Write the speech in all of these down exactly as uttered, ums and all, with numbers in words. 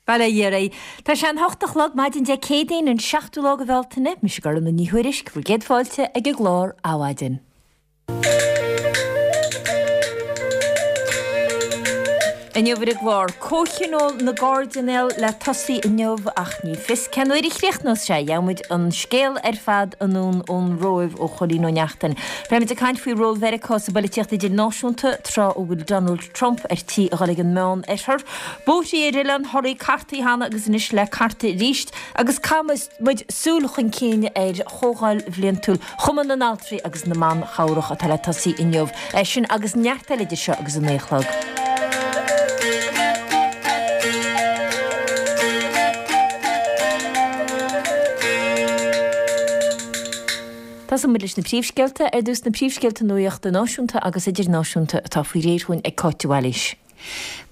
Bail ó Dhia oraibh. Tá sé an hocht a chlog maidin Dé Céadaoin an seachtú lá de Bhealtaine, mise Gormfhlaith Ní Thuairisg, bhur gcéad fáilte ag an gclár Adhmhaidin. Inniu ar an gclár, Comhthionól na gCairdinéal le tosaí inniu ach ní fios cén uair a chríochnós sé. Gheobhaimid an scéal ar fad anonn ón Róimh ó Chóilín Ó Neachtain. Beimid ag caint faoi ról Mheiriceá sa bpolaitíocht idirnáisiúnta tráth a bhfuil Donald Trump ar tí a dhul ag an Meán-Oirthear. Bóithrí ar Oileán Thoraí cartaithe cheana agus anois le cartadh arís agus caithfidh muid súil chun cinn ar Chomhdháil Bhliantúil Chumann na nAltraí agus na mBan Chabhrach atá le tosaí inniu. É sin agus neart eile idir seo agus a naoi a chlog. Tosóidh muid leis na príomhscéalta. Ar dtús na príomhscéalta nuachta náisiúnta agus idirnáisiúnta atá faoi réir dhúinn ag Cáit de Bhailís.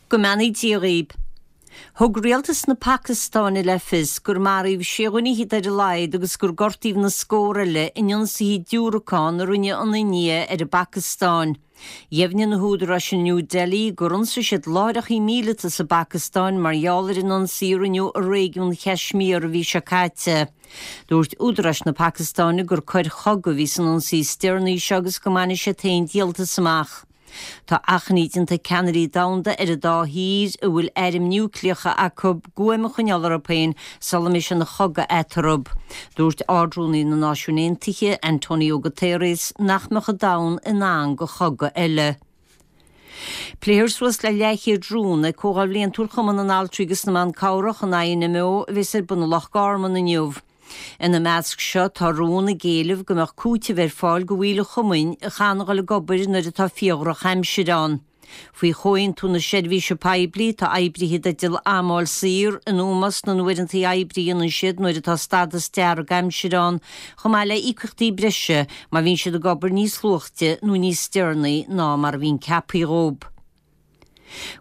Go mbeannaí Dia dhaoib. Thug rialtas na Pacastáine le fios gur maraíodh sé dhuine fhichead ar a laghad agus gur gortaíodh na scór eile in ionsaithe diúracán a rinne an India ar an bPacastáin. Dheimhnigh na húdaráis in New Delhi gur ionsaigh siad láithreacha míleata sa bPacastáin mar gheall ar an ionsaí a rinneadh i réigiún Chaismír an mhí seo caite. Dúirt údaráis na Pacastáine gur coir chogaidh a bhí san ionsaí is deireanaí seo agus go mbainfidh siad féin díoltas amach. Tá achainí déanta ag ceannairí domhanda ar an dá thír a bhfuil airm núicléacha acu guaim a choinneáil orthu féin sula mbeidh sé ina chogadh eatarthu. Dúirt Ard-Rúnaí na Náisiún Aontaithe, Antonio Guterres, nach mbeadh an domhan in ann do chogadh eile. Pléifear suas le leathchéad rún ag Comhdháil Bhliantúil Chumann na nAltraí agus na mBan Cabhrach, an INMO, a bheas ar bun i Loch Garman inniu. Ina measc seo tá rún ag éileamh go mbeadh cúiteamh ar fáil do bhaill an chumainn a chaitheann a dhul ag obair nuair atá fíordhrochaimsir ann. Faoi Chomhaontú na Seirbhíse Poiblí tá oibrithe i dteideal am a fháil saor in ómós na n-uaireanta oibre a dhéanann siad nuair atá stádas dearg aimsire ann, chomh maith le íocaíochtaí breise má bhíonn siad ag obair níos luaithe nó níos deireanaí ná mar a bhíonn ceaptha dhóibh.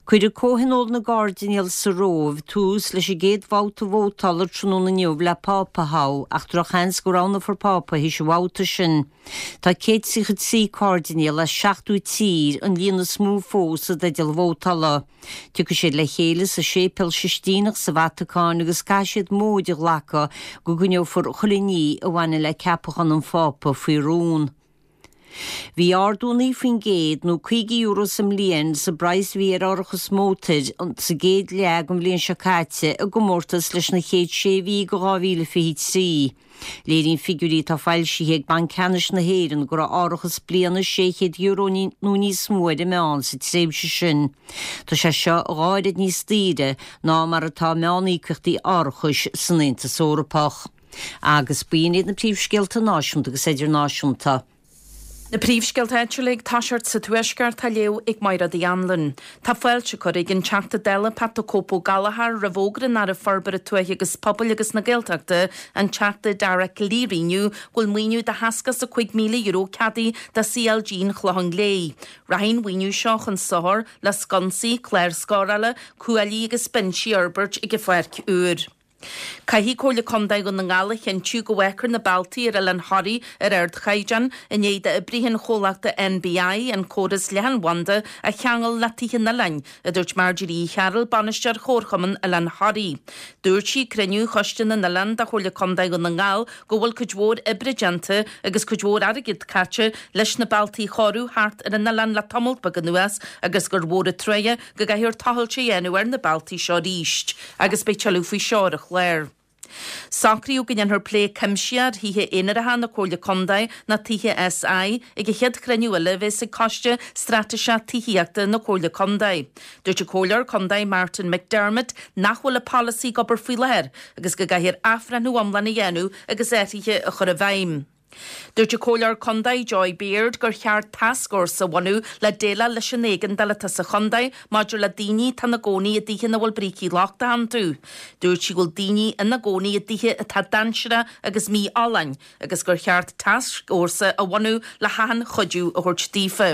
Cuirfidh Comhthionól na gCairdinéal sa Róimh tús leis an gcéad bhabhta vótála tráthnóna inniu le Pápa a thoghadh ach drochsheans go roghnófar Pápa théis an bhabhta sin. Tá céad tríocha trí cairdinéal as seachtó tír, an líon is mó fós, i dteideal vótála. Tiocfaidh siad le chéile sa Séipéal Sistíneach sa Vatacáin agus caithfidh siad móid a ghlacadh go gcoinneofar chuile ní a bhaineann le ceapachán an Phápa faoi rún. Bhí ardú naoi faoin gcéad, nó caoga euro sa mbliain, sa bpraghas a bhí ar árachas mótair sa gcéad leath den bhliain seo caite i gcomórtas leis na chéad sé mhí de dhá mhíle fiche trí. Léiríonn figiúirí atá foilsithe ag Banc Ceannais na hÉireann go raibh árachas bliana sé chéad euro nó níos mó ar an meán sa tréimhse sin. Tá sé seo dhá oiread níos daoire ná mar atá meán-íocaíochtaí árachais san Aontas Eorpach. Agus b'in iad na príomhscéalta náisiúnta agus idirnáisiúnta. Na príomhscéalta áitiúla ag toiseacht sa Tuaisceart á léamh ag Máire Uí Anluain. Tá fáilte curtha ag an Teachta Dála Pat 'The Cope Ó Gallchóir roimh fhógra an Aire Forbartha Tuaithe agus Pobail agus na Gaeltachta, an Teachta Dara Calleary inniu go bhfuil maoiniú de sheasca is a cúig míle euro ceadaithe do CLG an Chlocháin Léith. Rachaidh an mhaoiniú seo chun sochair le sconsaí, cláir scórála, cuaillí agus binsí a fhorbairt ag an pháirc úr. Caithfidh Comhairle Contae Dhún na nGall a chinntiú go bhfágfar na bealtaí ar Oileán Thoraí ar ardchaighdeán i ndiaidh d'oibrithe an chomhlachta NBI an córas leathanbhanda a cheangal le tithe an oileáin, a dúirt Marjorie Uí Chearúil, Bainisteoir Chomharchumann Oileán Thoraí. Dúirt sí ag cruinniú Choiste na nOileán de Chomhairle Contae Dhún na nGall go bhfuil cuid mhór oibre déanta agus cuid mhór airgid caite leis na bealtaí a chóiriú thart ar an oileán le tamalt beag anuas agus gur mhór an truaighe go gcaithfear tochailt a dhéanamh ar na bealtaí seo arís agus beidh tuilleadh faoi seo ar an chlár. Socraíodh go ndéanfar plé cuimsitheach ar thithe aonaracha na Comhairle Contae, nó tithe SI, ag an chéad chruinniú eile a bheas ag Coiste Straitéiseach Tithíochta na Comhairle Contae. Dúirt an Comhairleoir Contae Martin McDermott nach bhfuil an polasaí ag obair faoi láthair agus go gcaithfear athbhreithniú iomlán a dhéanamh agus athruithe a chur i bhfeidhm. Dúirt an Comhairleoir Contae Joy Beard gur cheart tascfhórsa a bhunú le déileáil leis an éigeandáil atá sa chontae maidir le daoine atá ina gcónaí i dtithe ina bhfuil brící lochtacha iontu. Dúirt sí go bhfuil daoine ina gcónaí i dtithe atá dainséarach agus mífholláin agus gur cheart tascfhórsa a bhunú le hachan chuidiú a thabhairt daofa.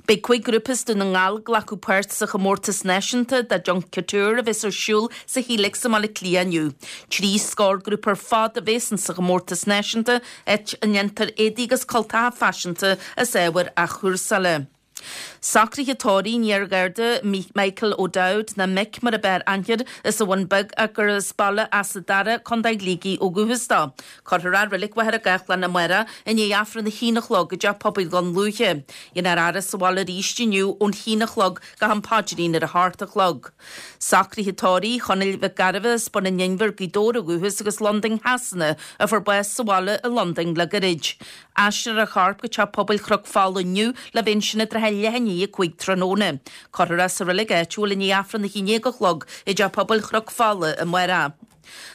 Beidh cúig ghrúpa as Dún na nGall ag glacadh páirt sa chomórtas náisiúnta de Junk Kouture a bheas ar siúl sa Helix i mBaile Átha Cliath inniu. Trí scór grúpa ar fad a bheas in sa chomórtas náisiúnta, áit a ndéantar éadaí agus cultacha faiseanta as ábhair athchúrsála. Socruithe tórraimh an iar-Gharda Michael O'Dowd nó Mick mar ab fhearr aithne air as an Bhun Beag ach gur as Baile Easa Dara, Contae Shligigh ó dhúchas dó. Cuirfear é i Reilig Mhachaire Gathlán amárach i ndiaidh Aifreann a haon a chlog i dTeach Pobail Dhún Lúiche. Déanfar faire sa bhaile arís inniu ón haon a chlog go ham paidrín ar a hocht a chlog. Socruithe tórraimh Chonaill Mhic Gairbheith as Bun an Inbhir, Gaoth Dobhair ó dhúchas agus Londain Shasana a fuair bás sa bhaile i Londain le gairid. Aistreofar a chorp go Teach Pobail Chnoc Fola inniu le bheith ansin i dtrátha leath i ndiaidh a cúig tráthnóna. Cuirfear é sa reilig áitiúil i ndiaidh Aifreann a haon déag a chlog i dTeach Pobail Chnoc Fola amárach.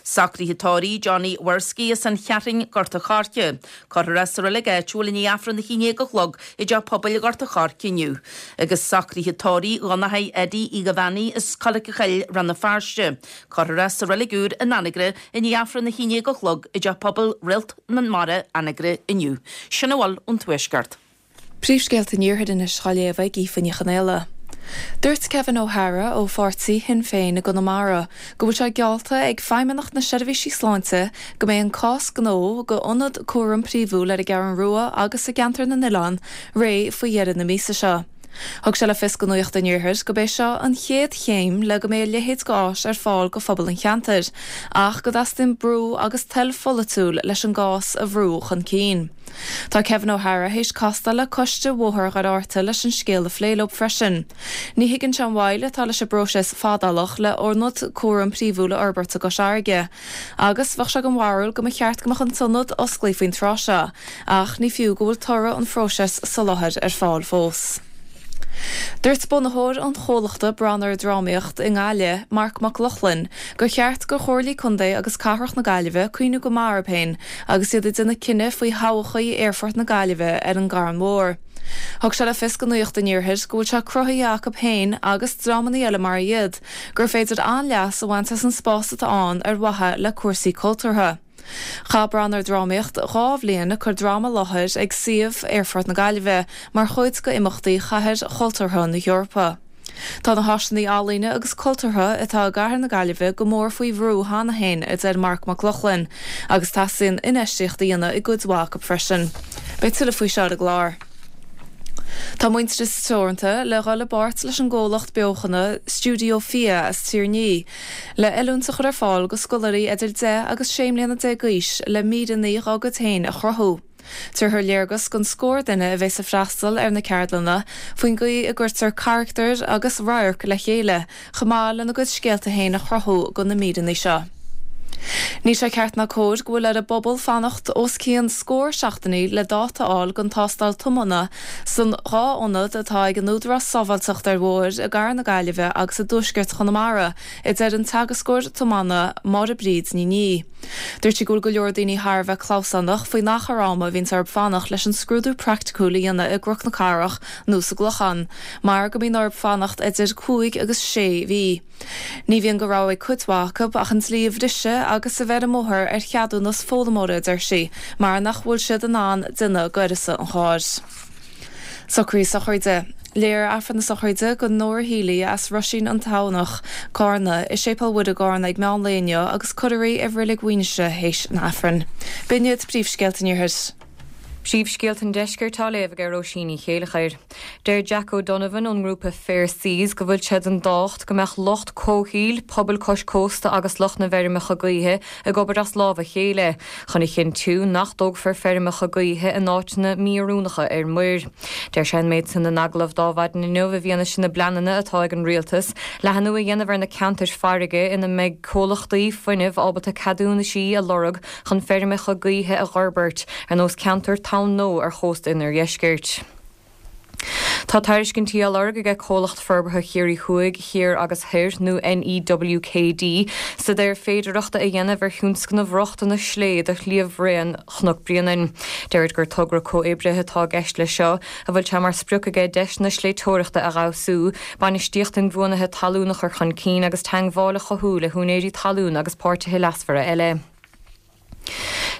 Socruithe tórraimh Johnny Worski as an Cheathrún Gort a' Choirce. Cuirfear é sa reilig áitiúil i ndiaidh Aifreann a haon déag a chlog i dTeach Pobail Ghort a' Choirce inniu. Agus socruithe tórraimh Dhonncha Eddie Uí Ghabhánaigh as Coilc a Choill Rann na Feirste. Cuirfear é sa reilig úr in Anagaire i ndiaidh Aifreann a haon déag a chlog i dTeach Pobail Réalt na Mara Anagaire inniu. Sin a bhfuil ón Tuaisceart. Príomhscéalta an Iarthair anois á léamh ag Aoife Ní Chonaola. Dúirt Kevin O'Hara ó pháirtí Shinn Féin i gConamara go bhfuil sé geallta ag Feidhmeannacht na Seirbhísí Sláinte go mbeidh an cás gnó go ionad cúram príomhúil ar an gCeathrú Rua agus i gceantar na nOileán réidh faoi dheireadh na míosa seo. Thug sé le fios do Nuacht an Iarthair gurb é seo an chéad chéim le go mbeidh a leithéid d'áis ar fáil go phobal an cheantair, ach go dteastaíonn brú agus toil pholaitiúil leis an gcás a bhrú chun cinn. Tá Kevin O'Hara théis castáil le coiste Bhóthar Dhoire Fhatharta leis an scéal a phlé leo freisin. Ní thuigeann sé an mhoill atá leis an bpróiseas fadálach le ionad cúram príomhúil a fhorbairt i gCois Fharraige. Agus bheadh sé den bharúil go mba cheart go mbeadh an t-ionad osclaithe faoin tráth seo, ach ní fiú go bhfuil toradh an phróisis soláthair ar fáil fós. Dúirt bunaitheoir an chomhlachta Branar Drámaíocht i nGaillimh, Marc Mac Lochlainn, gur cheart do Chomhairlí Contae agus Cathrach na Gaillimhe cuimhniú go maith orthu féin agus iad ag déanamh cinneadh faoi thodhchaí Aerfort na Gaillimhe ar an gCarn Mhór. Thug sé le fios do Nuacht an Iarthair go bhfuil sé cruthaithe acu féin agus dreamanna eile mar iad gur féidir an-leas a bhaint as an spás atá ann ar mhaithe le cúrsaí cultúrtha. Chaith Branar Drámaíocht dhá bhliain ag cur dráma i láthair ag suíomh Aerfort na Gaillimhe mar chuid d'imeachtaí Chathair Chultúrtha na hEorpa. Tá na háiseanna ealaíne agus cultúrtha atá i gcathair na Gaillimhe go mór faoi bhrú cheana féin, a deir Marc Mac Lochlainn, agus teastaíonn infheistíocht a dhéanamh i gcuid mhaith acu freisin. Beidh tuilleadh faoi seo ar an gclár. Tá Muintearas Teoranta le dhul i bpáirt leis an gcomhlacht beochana Stiúideo Fia as Tír an Fhia le oiliúint a chur ar fáil go scoláirí idir deich agus sé mbliana déag d'aois le míreanna dá gcuid féin a chruthú. Tabharfar léargas don scór duine a bheas ag freastal ar na ceardlanna faoin gcaoi a gcuirtear carachtair agus radhairc le chéile chomh maith lena gcuid scéalta féin a chruthú do na míreanna seo. Níl sé ceart ná cóir go bhfuil ar an bpobal fanacht os cionn scór seachtainí le dáta a fháil don tástáil tiomána san dhá ionad atá ag an Údarás Sábháilteachta ar Bhóithre i gCathair na Gaillimhe agus i dTuaisceart Chonamara, a deir an teagascóir tiomána Máire Bríd Ní Niadh. Dúirt sí go bhfuil go leor daoine thar a bheith clamhsánach faoin achar ama a bhíonns orthu fanacht leis an scrúdú praiticiúil a dhéanamh i gCnoc na Cathrach nó sa gClochán, mar go mbíonn orthu fanacht idir cúig agus sé mhí. Ní bhíonn de rogha ag cuid mhaith acu ach an dlí a bhriseadh agus a bheith ar an mbóthar ar cheadúnas foghlaimeora, a deir sí, mar nach bhfuil siad in ann déanamh d'uireasa an chairr. Socruithe sochraide. Léifear Aifreann na sochraide do Nóra Healy as Roisín an Tamhnach, Cárna, i Séipéal Mhuire i gCárna ag meán lae inniu agus cuirfear í i Reilig Mhuighinse théis an Aifrinn. B'in iad príomhscéalta an Iarthair. Príomhscéalta an Deiscirt á léamh ag Róisín Ní Chéileachair. Deir Jack O'Donovan ón ngrúpa Fair Seas go bhfuil sé den tábhacht go mbeadh lucht comhshaoil, pobal cois cósta agus lucht na bhfeirmeacha gaoithe ag obair as lámh a chéile chun a chinntiú nach dtógfar feirmeacha gaoithe in áiteanna mí-oiriúnacha ar muir. Deir sé an méid sin in agallamh d'Adhmhaidin inniu i bhfianaise na bpleananna atá ag an rialtas leathnú a dhéanamh ar na ceantair farraige ina mbeidh comhlachtaí fuinnimh ábalta ceadúnaisí a lorg chun feirmeacha gaoithe a fhorbairt, ar nós ceantar Tonn Nó ar chósta an oirdheiscirt. Tá tairiscintí á lorg aige Comhlacht Forbartha Chiarraí Thuaidh, Thiar agus Thoir, nó NEWKD, staidéar féidearthachta a dhéanamh ar thionscnamh rochtana slé do shliabhraon Chnoc Bréanainn. Deirid gur togra comhoibrithe atá i gceist leis seo, a bhfuil sé mar sprioc aige deiseanna sléibhteoireachta a fheabhsú, bainistíocht inbhuanaithe talún a chur chun cinn agus teagmháil a chothú le húinéirí talún agus páirtithe leasmhara eile.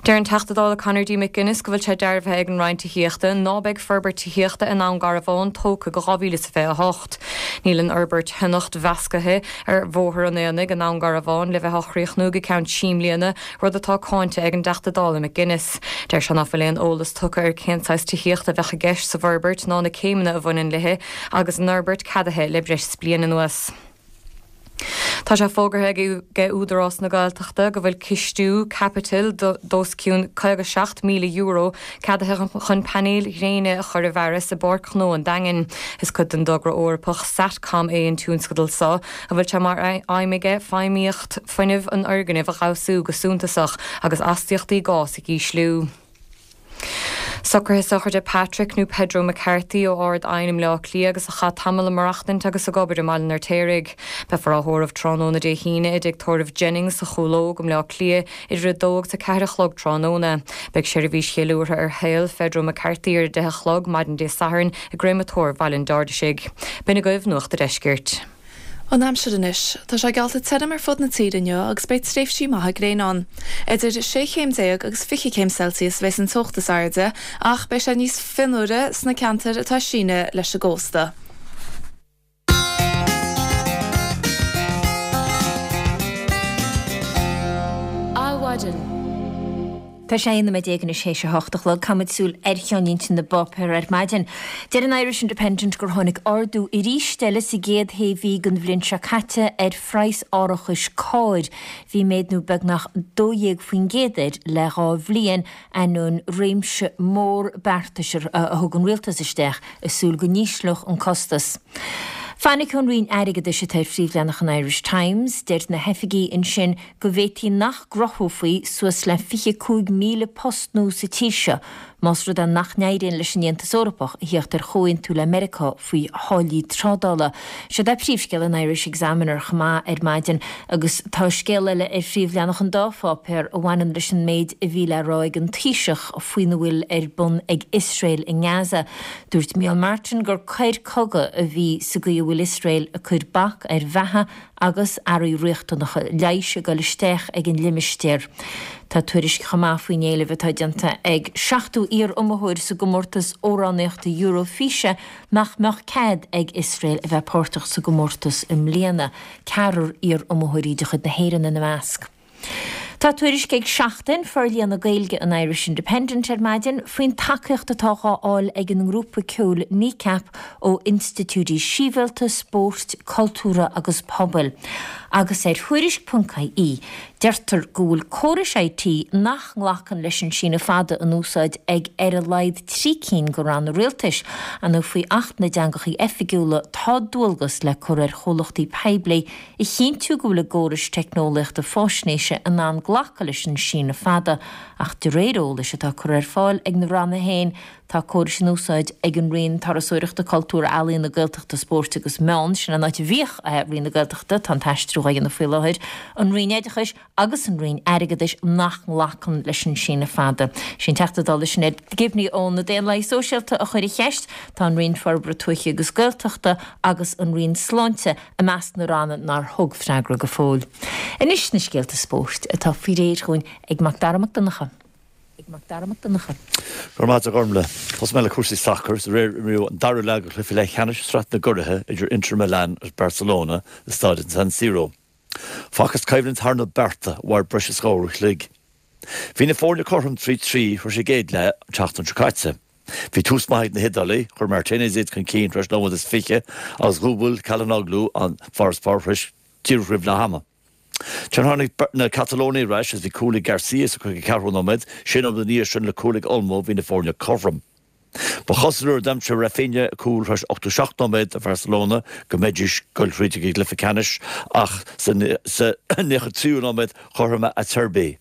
Deir an Teachta Dála Conor D. McGuinness go bhfuil sé dearbhaithe ag an Roinn Tithíochta ná beidh forbairt tithíochta i nDún Garbhán tógtha go dhá mhíle is fiche a hocht. Níl an fhorbairt thionachta mheasctha ar Bhóthar an Aonaigh i nDún Garbhán le bheith á chríochnú go ceann trí mbliana, rud atá cáinte ag an dTeachta Dála McGuinness. Deir sé ná fuil aon eolas tugtha ar cén saghas tithíochta a bheadh i gceist sa bhforbairt ná na céimeanna a bhaineann léi agus an fhorbairt ceadaithe le breis is bliain anuas. Tá sé fógartha ag Údarás na Gaeltachta go bhfuil cistiú caipitil d'os cionn caoga seacht míle euro ceadaithe chun painéil ghréine a chur i bhfearas i bPáirc Ghnó an Daingin. Is cuid den dtogra Eorpach SatCom é an tionscadal seo, a bhfuil sé mar aidhm aige feidhmíocht fuinnimh an fhoirgnimh a fheabhsú go suntasach agus astaíochtaí gás a ísliú. Socruithe sochraide Patrick nó Pedro McCarthy ó Ard Aidhne i mBleá Cliath agus a chaith tamall ag maireachtaint agus ag obair i mBaile an Fheirtéaraigh. Beifear á thórramh tráthnóna Dé hAoine i dTigh Tórraimh Jennings sa Chúil Óg i mBleá Cliath idir a dó agus a ceathair a chlog tráthnóna. Beidh seirbhís cheiliúrtha ar shaol Phedro McCarthy ar a deich a chlog maidin Dé Sathairn i gcréamatóir Bhaile an Dirdhisigh. B'in agaibh Nuacht a' Deiscirt. An aimsir anois. Tá sé geallta tirim ar fud na tíre inniu agus beidh tréimhsí maithe gréine ann. Idir sé chéim déag agus fiche céim Celsius a bheas an teocht is airde, ach beidh sé níos fionnuaire sna ceantair atá ag síneadh leis an gcósta. Adhmhaidin. Tá sé aon nóiméad déag anois théis a hocht a chlog. Caithfimid súil ar cheannlínte na bpáipéar ar maidin. Deir an Irish Independent gur tháinig ardú arís eile sa gcéad shé mhí den bhliain seo caite ar phraghas árachais cairr. Bhí méadú beagnach dó dhéag faoin gcéad air le dhá bhliain, ainneoin réimse mór beartais a thug an rialtas isteach i súil go n-ísleodh an costas. Fainic ón Roinn Airgeadais atá ar phríomhleathanach an Irish Times. Deir na hoifigigh ansin go bhféadfaí nach gcruthófaí suas le fiche cúig míle post nua sa tír seo más rud é nach n-éiríonn leis an Aontas Eorpach a theacht ar chomhaontú le Meiriceá faoi tháillí trádála. Seo é príomhscéal an Irish Examiner chomh maith ar maidin agus tá scéal eile ar phríomhleathanach an dá pháipéar a bhaineann leis an méid a bhí le rá ag an Taoiseach faoina bhfuil ar bun ag Iosrael i nGaza. Dúirt Micheál Martin gur coir cogaidh a bhí sa gcaoi a bhfuil Iosrael ag cur bac ar bheatha agus earraí riachtanacha leighis ag dul isteach ag an limistéar. Tá tuairisc chomh maith faoin éileamh atá déanta ag seachtó iar-iomaitheoir sa gcomórtas amhránaíochta Eurofíse nach mbeadh cead ag Iosrael a bheith páirteach sa gcomórtas i mbliana, ceathrar iar-iomaitheoirí de chuid na hÉireann ina measc. Tá tuairisc ag Seachtain, forlíonadh Gaeilge an Irish Independent ar maidin, faoin tacaíocht atá dhá fháil ag an ngrúpa ceoil Kneecap ó institiúidí sibhialta, spóirt, cultúrtha agus pobail. Agus ar Thuairisc ponc ie, deirtear go bhfuil córais I T nach nglacann leis an síneadh fada in úsáid ag ar a laghad trí cinn de ranna rialtais. Nó faoi Acht na dTeangacha Oifigiúla tá dualgas le cur ar chomhlachtaí poiblí a chinntiú go bhfuil a gcórais teicneolaíochta faisnéise in ann glacadh leis an síneadh fada, ach de réir eolais atá curtha ar fáil ag na ranna féin, tá córais in úsáid ag an Roinn Turasóireachta, Cultúir, Ealaíon, na Gaeltachta, Spóirt agus Meán, sin an áit a bhíodh Roinn na Gaeltachta, tá an t-aistriú á dhéanamh faoi láthair, an Roinn Oideachais agus an Roinn Airgeadais nach nglacann leis an síneadh fada. Sin Teachta Dála Sinéad Gibney ó na Daonlathaigh Sóisialta a chuir an cheist. Tá an Roinn Forbartha Tuaithe agus Gaeltachta agus an Roinn Sláinte i measc na ranna nár thug freagra go fóill. Anois na scéalta spóirt atá faoi réir chugainn ag Mac Dara Mac Donncha. Ag Mac Dara Mac Donncha. Go raibh maith agat a Ghormfhlaith. Tosóidh mé le cúrsaí sacair. Aréir imríodh an dara leath de chluiche leathcheannais Sraith na gCuraithe idir Inter Milan agus Barcelona i staid San Siro. Facthas coimhlint thar na bearta a mhair breis is dhá uair a chloig. Bhí na foirne cothrom trí trí tar éis an gcéad leath an tseachtain seo caite. Bhí tús maith ag na hIodálaigh, chuir Martinez iad chun cinn tar éis nóiméad is fiche agus dhúbail Calhanoglu an farasbarr tar éis díreach roimh leath ama. Tháinig na Catalónaigh ar ais agus bhí cúl ag Garcia sa caoga ceathrú nóiméad, sé nóiméad ina dhiaidh sin le cúl ag Olmo bhí na foirne cothrom. Ba chosúil nuair a d'aimsigh Raphinha cúl tar éis ochtó seacht nóiméad do Bharcelona go mbeidís ag goil thríd ag an gcluiche ceannais ach sa nócha tríú nóiméad chothromaigh Acerbi.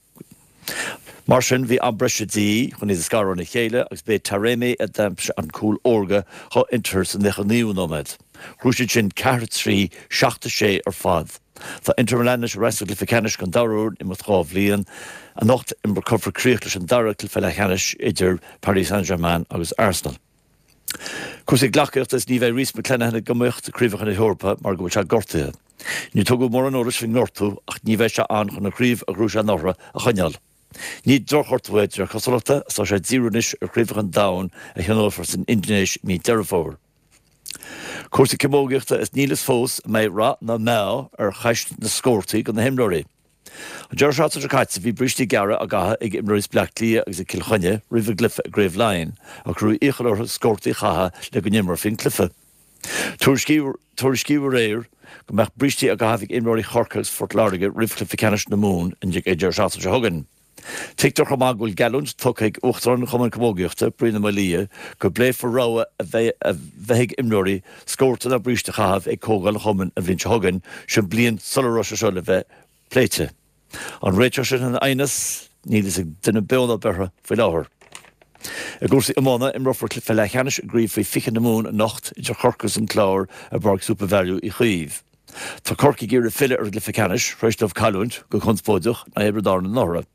Mar sin bhí am breise de dhíth chun iad a scaradh óna chéile agus b'é Taremi a d'aimsigh an cúl órga do Inter sa nócha naoú nóiméad. Ghnóthaigh siad sin ceathair a trí, seacht a sé ar fad. Tá Inter Milan anois ar ais sa gcluiche ceannais don dara huair in imeacht dhá bhliain. Anocht cuirfear críoch leis an dara cluiche leathcheannais idir Paris Saint-Germain agus Arsenal. Cúrsaí gleacaíochta is ní bheidh Rhys McClenaghan ag iomaíocht i gCraobhacha na hEorpa mar go bhfuil sé gortaithe. Níor tugadh mórán eolais faoin ngortú ach ní bheidh sé ann chun an chraobh a ghnóthaigh sé anuraidh a choinneáil. Ní drochghortú é de réir cosúlachta is tá sé ag díriú anois ar Chraobhacha an Domhain a thionólfar san Indinéis i mí Deireadh Fómhair. Cúrsaí camógaíochta is níl fhios fós an mbeidh rath ná meath ar cheist na scórtaí do na himreoirí. An deireadh seachtaine seo caite bhí brístí gearra á gcaitheamh ag imreoirí Bhaile Átha Cliath agus ag Cill Chainnigh roimh a gcluiche i gCraobh Laighean ach cuireadh iachall orthu scórtaí a chaitheamh le go n-imreofaí an cluiche. Tuairiscíodh aréir go mbeadh brístí á gcaitheamh ag imreoirí Chorcaí agus Phort Láirge roimh chluiche ceannais na Mumhan an deireadh seachtaine seo chugainn. Tuigtear chomh maith go bhfuil geallúint tugtha ag Uachtarán an Chumainn Camógaíochta, Brian Ó Maolaodha, go bpléifear rogha a bheith ag imreoirí scórta nó bríste a chaitheamh ag Comhdháil an Chumainn an bhliain seo chugainn, sin bliain sula raibh sé seo le bheith pléite. An réiteoidh sin an aighneas? Níl fhios ag duine beo ná beirthe faoi láthair. I gcúrsaí iomána, imreofar cluiche leathcheannais i gcraobh faoi fiche na Mumhan anocht idir Chorcaigh agus an Clár i bPáirc SuperValu Uí Chaoimh. Tá Corcaigh ag iarraidh filleadh ar an gcluiche ceannais tar éis dóibh cailliúint, go conspóideach, in aghaidh Thiobraid Árann anuraidh.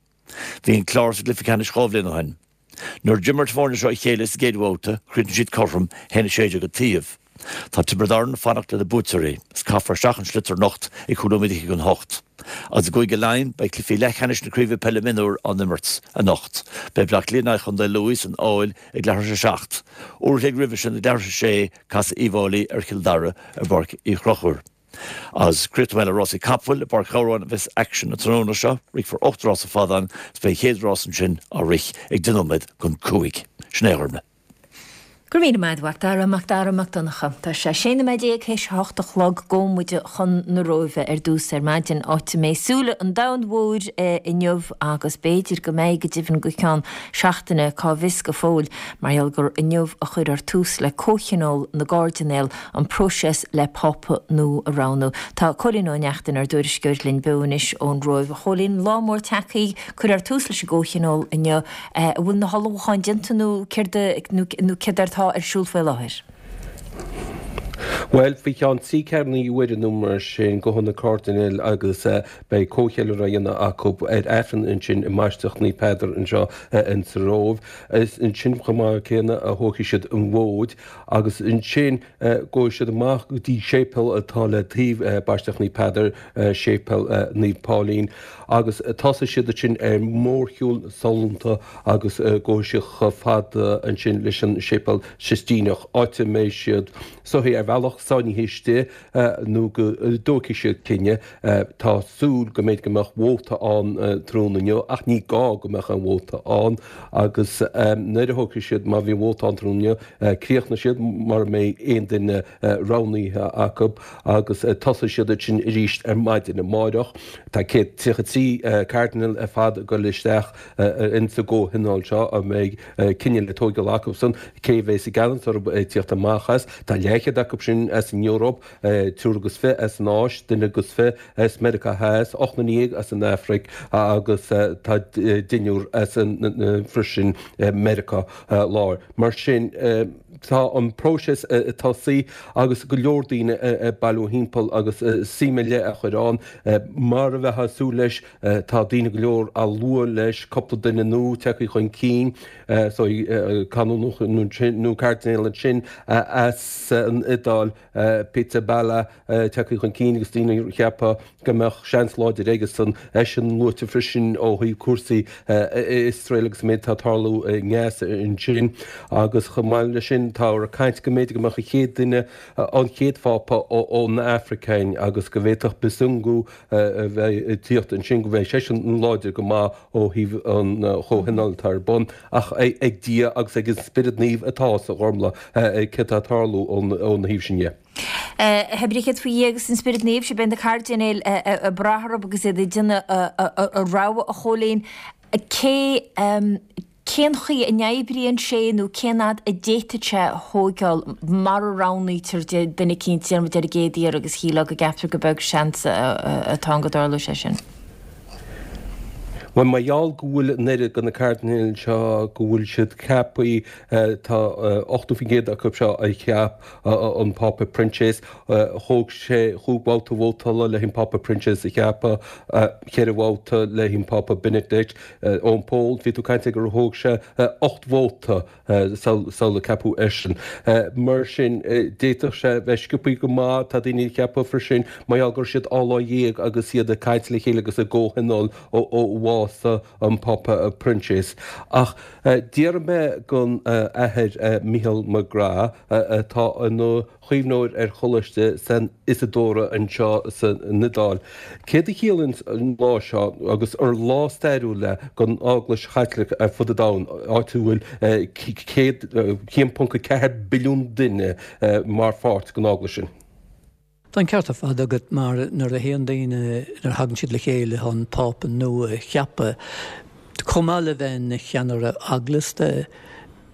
Bhí an Clár sa gcluiche ceannais dhá bhliain ó shin. Nuair a d'imir na foirne seo a chéile sa gcéad bhabhta, chríochnaigh siad cothrom, a haon a sé déag an taobh. Tá Tiobraid Árann ag fanacht le na buaiteoirí, is caithfear isteach an sliotar anocht ag cúig nóiméad fhichead chun a hocht. Agus i gCúige Laighean, beidh cluichí leathcheannais na Craoibhe Peile Mionúr á n-imirt anocht. Beidh Bleá Cliath in aghaidh Chontae Lú san Fheabhail ag leathuair tar éis a seacht. Uair a chloig roimhe sin ag leathuair tar éis a sé, casfaidh Uíbh Fhailí ar Chill Dara i bPáirc Uí Chonchúir. Agus críochnóidh mé le rásaí capaill i bPáirc Ghabhráin a bheas aicsean an tráthnóna seo. Rithfear ocht rás ar fad ann is beidh an chéad rás ansin á rith ag deich nóiméad chun cúig. Sin é a Ghormlaith. Go raibh míle maith agat, a Mhac Dara, Mac Dara Mac Donncha. Tá sé sé nóiméad déag théis a hocht a chlog. Gabhfaidh muid chun na Róimhe ar dtús ar maidin, áit a mbeidh súile an domhain mhóir inniu agus b'fhéidir go mbeidh go deimhin go ceann seachtaine, cá bhfios go fóill, mar gheall gur inniu a chuirfear tús le Comhthionól na gCairdinéal, an próiseas le Pápa nua a roghnú. Tá Cóilín Ó Neachtain, ár dtuairisceoir, linn beo anois ón Róimh. A Chóilín, lá mór tagtha, cuirfear tús leis an gComhthionól inniu. An bhfuil na hullmhúcháin déanta nó céard nó céard atá ar siúl faoi láthair? Bhuel, faoi cheann trí ceathrú uaire nó mar sin, gabhfaidh na cairdinéil agus beidh comhcheiliúradh á dhéanamh acu ar Aifreann ansin i mBaisleac Naomh Peadar anseo insa Róimh. Is ansin chomh maith céanna a thógfaidh siad an mhóid agus ansin gabhfaidh siad amach go dtí séipéal atá le taobh Baisleac Naomh Peadar, Séipéal Naomh Pauline, agus tosóidh siad ansin ar mhórshiúl sollúnta agus gabhfaidh siad chomh fada ansin leis an Séipéal Sistíneach, áit a mbeidh siad so ar bhealach sáinnithe istigh nó go dtógfaidh siad cinneadh. Tá súil go mb'fhéidir go mbeadh vóta ann tráthnóna inniu ach ní gá go mbeadh aon vóta ann agus nuair a thógfaidh siad, má bhíonn vóta ann tráthnóna inniu, críochnóidh siad mura mbeidh aon duine roghnaithe acu agus tosóidh siad ansin arís ar maidin amáireach. Tá céad tríocha trí cairdinéal ar fad ag dul isteach insa gcomhthionól seo a mbeidh cinneadh le tóigeáil acusan cé a bheas i gceannas orthu ag tíocht amach as. Tá leathchéad acu sin as an Eoraip, triúr agus fiche as an Áis, duine agus fiche as Meiriceá Theas, ocht nduine dhéag as an Afraic agus tá deichniúr as an freisin Meiriceá Láir. Mar sin tá an próiseas ag tosaí agus go leor daoine ag bailiú thimpeall agus suim ar leith á chur ann. Mar a bheifeá ag súil leis tá daoine go leor á lua leis, cúpla duine nua tagtha chun cinn, so canónach nó cairdinéal ansin as an Iodáil, Pizzaballa, tagtha chun cinn agus daoine ag ceapadh go mbeadh seans láidir aigesan. Eisean luaite freisin ó thaobh cúrsaí Iosrael agus an méid atá ag tarlú i nGaza ansin. Agus chomh maith leis sin táthar ag caint go mb'fhéidir go mbeadh an chéad duine, an chéad Phápa ón Afraic againn agus go bhféadfadh Besungu a bheith ag tíocht ansin, go mbeidh seisean láidir go maith ó thaobh an chomhthionóil atá ar bun. Ach ag Dia agus ag an Spiorad Naomh atá a fhios, a Ghormlaith, céard atá ag tarlú óna thaobh sin dhe. Pé ar bith céard faoi Dhia agus an Spiorad Naomh, sea, beidh na cairdinéil ag brath orthu agus iad ag déanamh a rogha, a Chóilín. Cé, cén chaoi a n-oibríonn sé nó cén fhad a d'fhéadfadh sé a thóigeáil mara roghnaítear duine eicínt, déarfaidh muid ar an gcéad iarraidh agus shílfeá go gceaptar gur beag seans atá ann go dtarlódh sé sin. Bhuel, mar gheall go bhfuil an oiread de na cairdinéil seo, go bhfuil siad ceaptha, tá ochtó faoin gcéad acu seo a cheap an Pápa Proinsias, thóg sé chúig bhabhta vótála le an Pápa Proinsias a cheapadh, ceithre bhabhta le an Pápa Benedict, Eoin Pól, bhí tú ag caint gur thóg sé ocht vóta sular ceapadh eisean. Mar sin, d'fhéadfadh sé bheith sciobtha go maith, tá daoine ag ceapadh freisin, mar gheall go raibh siad dhá lá dhéag agus iad ag caint le chéile agus i gcomhthionól ó bhás lá an Pápa Proinsias. Ach d'iarr mé den Athair Micheál McGrath atá ina chaomhnóir ar Choláiste San Isadóra anseo san Iodáil. Céard a chiallaíonn an lá seo agus ar lá stairiúil é don Eaglais Chaitliceach ar fud an domhain, áit a bhfuil céad haon ponc a ceathair billiún duine mar pháirt den Eaglais sin? Tá an ceart ar fad agat mar nuair a théann daoine, nuair a thagann siad le chéile chun Pápa nua a cheapadh, chomh maith le bheith ina cheannaire eaglasta,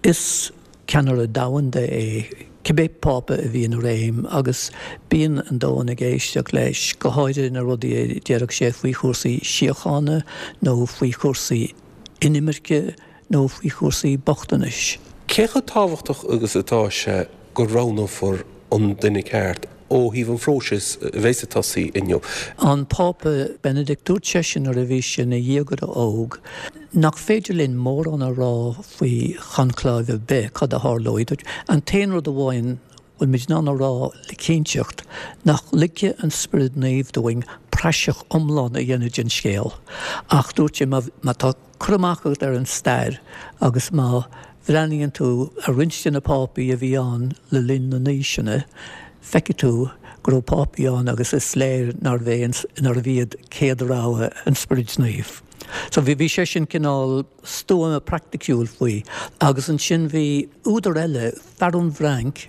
is ceannaire domhanda é cibé Pápa a bhíonn i réim agus bíonn an domhan ag éisteacht leis, go háirithe na rudaí a déarfadh sé faoi chúrsaí síochána nó faoi chúrsaí inimirce nó faoi chúrsaí bochtanais. Cé chomh tábhachtach agus atá sé go roghnófar an duine ceart ó thaobh an phróisis a bheas ag tosaí inniu? An Pápa Benedict, dúirt seisean nuair a bhí sé ina dhéagóir óg nach féidir linn mórán a rá faoi choncláibh ar bith, cad a tharlóidh. Dúirt, an t-aon rud amháin a bhfuil muid in ann a rá le cinnteacht nach ligfidh an Spiorad Naomh dúinn praiseach iomlán a dhéanamh den scéal. Ach dúirt sé, má tá cur amach agat ar an stair agus má bhreathnaíonn tú ar roinnt de na pápaí a bhí ann le linn na n-aoiseanna, feicfidh tú go raibh pápaí ann agus is léir nárbh é nárbh iad céad rogha an Spioraid Naoimh. So bhí bhí sé sin cineál stuama praiticiúil faoi. Agus ansin bhí údar eile, fear ón bhFrainc,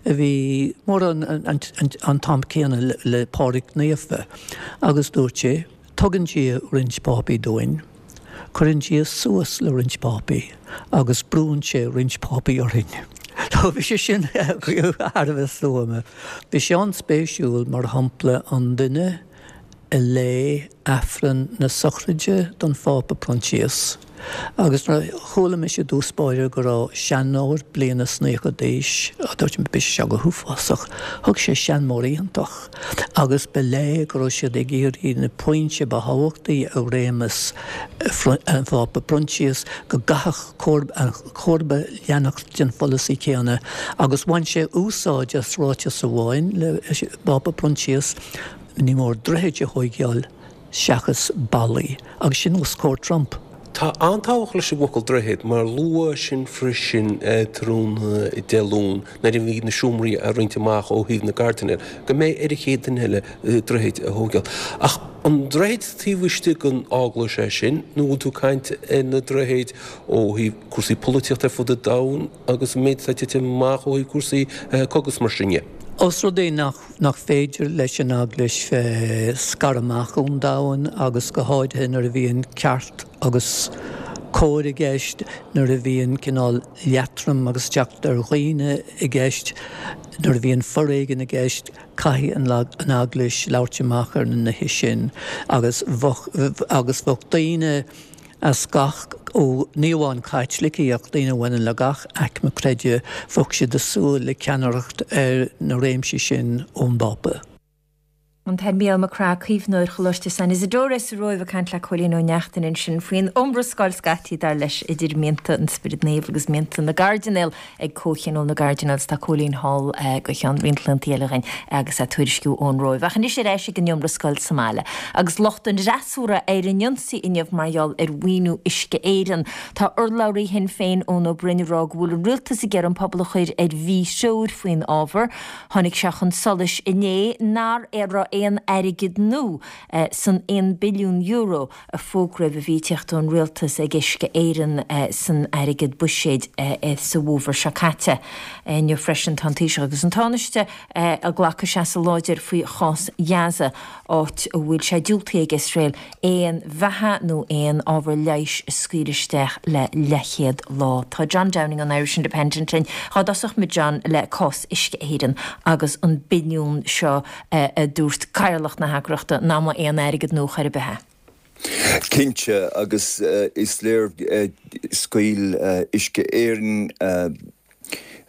a bhí mórán an an t-am céanna le Pádraig Naofa, agus dúirt sé, Tugann Dia roinnt pápaí dúinn, cuireann Dia suas le roinnt pápaí agus brúnn sé roinnt pápaí orainn. So bhí sé sin thar a bheith stuama. Bhí sé an-spéisiúil, mar shampla, an duine a léigh Aifreann na sochraide don Phápa Proinsias agus nuair a chuala mise i dtús báire go raibh seanóir bliana is naocha d'aois, dúirt mé, beidh sé seo go huafásach. Thug sé seanmóir iontach agus ba léir go raibh siad ag iarraidh na pointí ba thábhachtaí i réimeas an Phápa Proinsias go gcaithfeadh an comharba leanacht den pholasaí céanna agus bhain sé úsáid as ráiteas amháin le Pápa Proinsias, Ní mór droichid a thóigeáil seachas ballaí, agus sin os comhair Trump. Tá an-tábhacht leis an bhfocal droichead mar luadh sin freisin tráthnóna Dé Luain nuair a bhí na seomraí á roinnt amach ó thaobh na gcairdinéal, go mbeidh ar an chéad duine eile droichid a thóigeáil. Ach an droichead taobh istigh den Eaglais é sin nó bhfuil tú ag caint ar na droichid ó thaobh cúrsaí polaitíochta ar fud an domhain agus an méid atá ag titim amach ó thaobh cúrsaí cogaidh is mar sin dhe? Ós rud é nach féidir leis an Eaglais bheith scartha amach ón domhan agus go háirithe nuair a bhíonn ceart agus cóir i gceist, nuair a bhíonn cineál leatrom agus teacht ar dhaoine i gceist, nuair a bhíonn foréigean i gceist, caithfidh an Eaglais labhairt amach ar na nithe sin agus bheadh agus bheadh daoine as gach, ó, ní amháin Caitlicigh ach daoine a bhaineann le gach aicme creidimh, bheadh siad ag súil le ceannaireacht ar na réimsí sin ón bPápa. An tAthair Mícheál Mac Craith, caomhnóir Choláiste San Isidore sa Róimh ag caint le Cóilín Ó Neachtain ansin faoin iomrascáil scaití dar leis idir mianta an Spioraid Naomh agus mianta na gCairdinéal ag Comhthionól na gCairdinéal agus tá Cóilín thall go ceann roinnt laethanta eile againn agus é ag tuairisciú ón Róimh. Ach anois ar ais ag an iomrascáil sa mbaile. Agus lucht an fhreasúra ar an ionsaí inniu mar gheall ar mhaoiniú Uisce Éireann. Tá urlabhraí Shinn Féin Eoin Ó Broin ag rá go bhfuil an rialtas ag iarraidh an pobal a chur ar mhíthreoir faoin ábhar. Tháinig sé chun solais inné nach raibh aon airgead nua san aon billiún euro a fógraíodh a bhí ag teacht ón rialtas ag Uisce Éireann san airgead buiséid sa bhfómhar seo caite. Inniu freisin tá an Taoiseach agus an Tánaiste ag glacadh seasamh láidir faoi chás Ghaza, áit a bhfuil sé diúltaithe ag Iosrael aon bheatha nó aon ábhar leighis a scaoileadh isteach le leathchéad lá. Tá John Downing ón Irish Independent linn. Dhá dtosódh muid, John, le cás Uisce Éireann agus an billiún seo a dúirt cathaoirleach na heagraíochta nach mba aon airgead nua chor ar bith é. Cinnte, agus is léir scaoil Uisce Éireann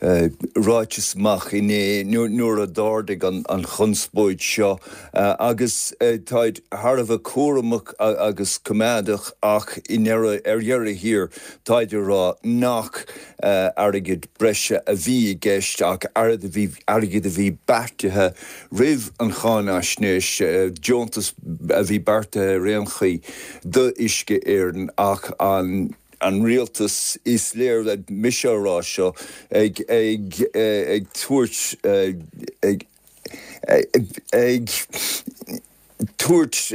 ráiteas amach inné nuair a d'ardaigh an chonspóid seo agus táid thar a bheith cúramach agus coimeádach ach i ndeireadh, ar dheireadh thiar táid ag rá nach airgead breise a bhí i gceist ach airgead a bhí beartaithe roimh an cháinaisnéis, deontas a bhí beartaithe ar aon chaoi do Uisce Éireann ach an an rialtas, is léir, mise á rá seo, ag ag ag tabhairt ag ag tabhairt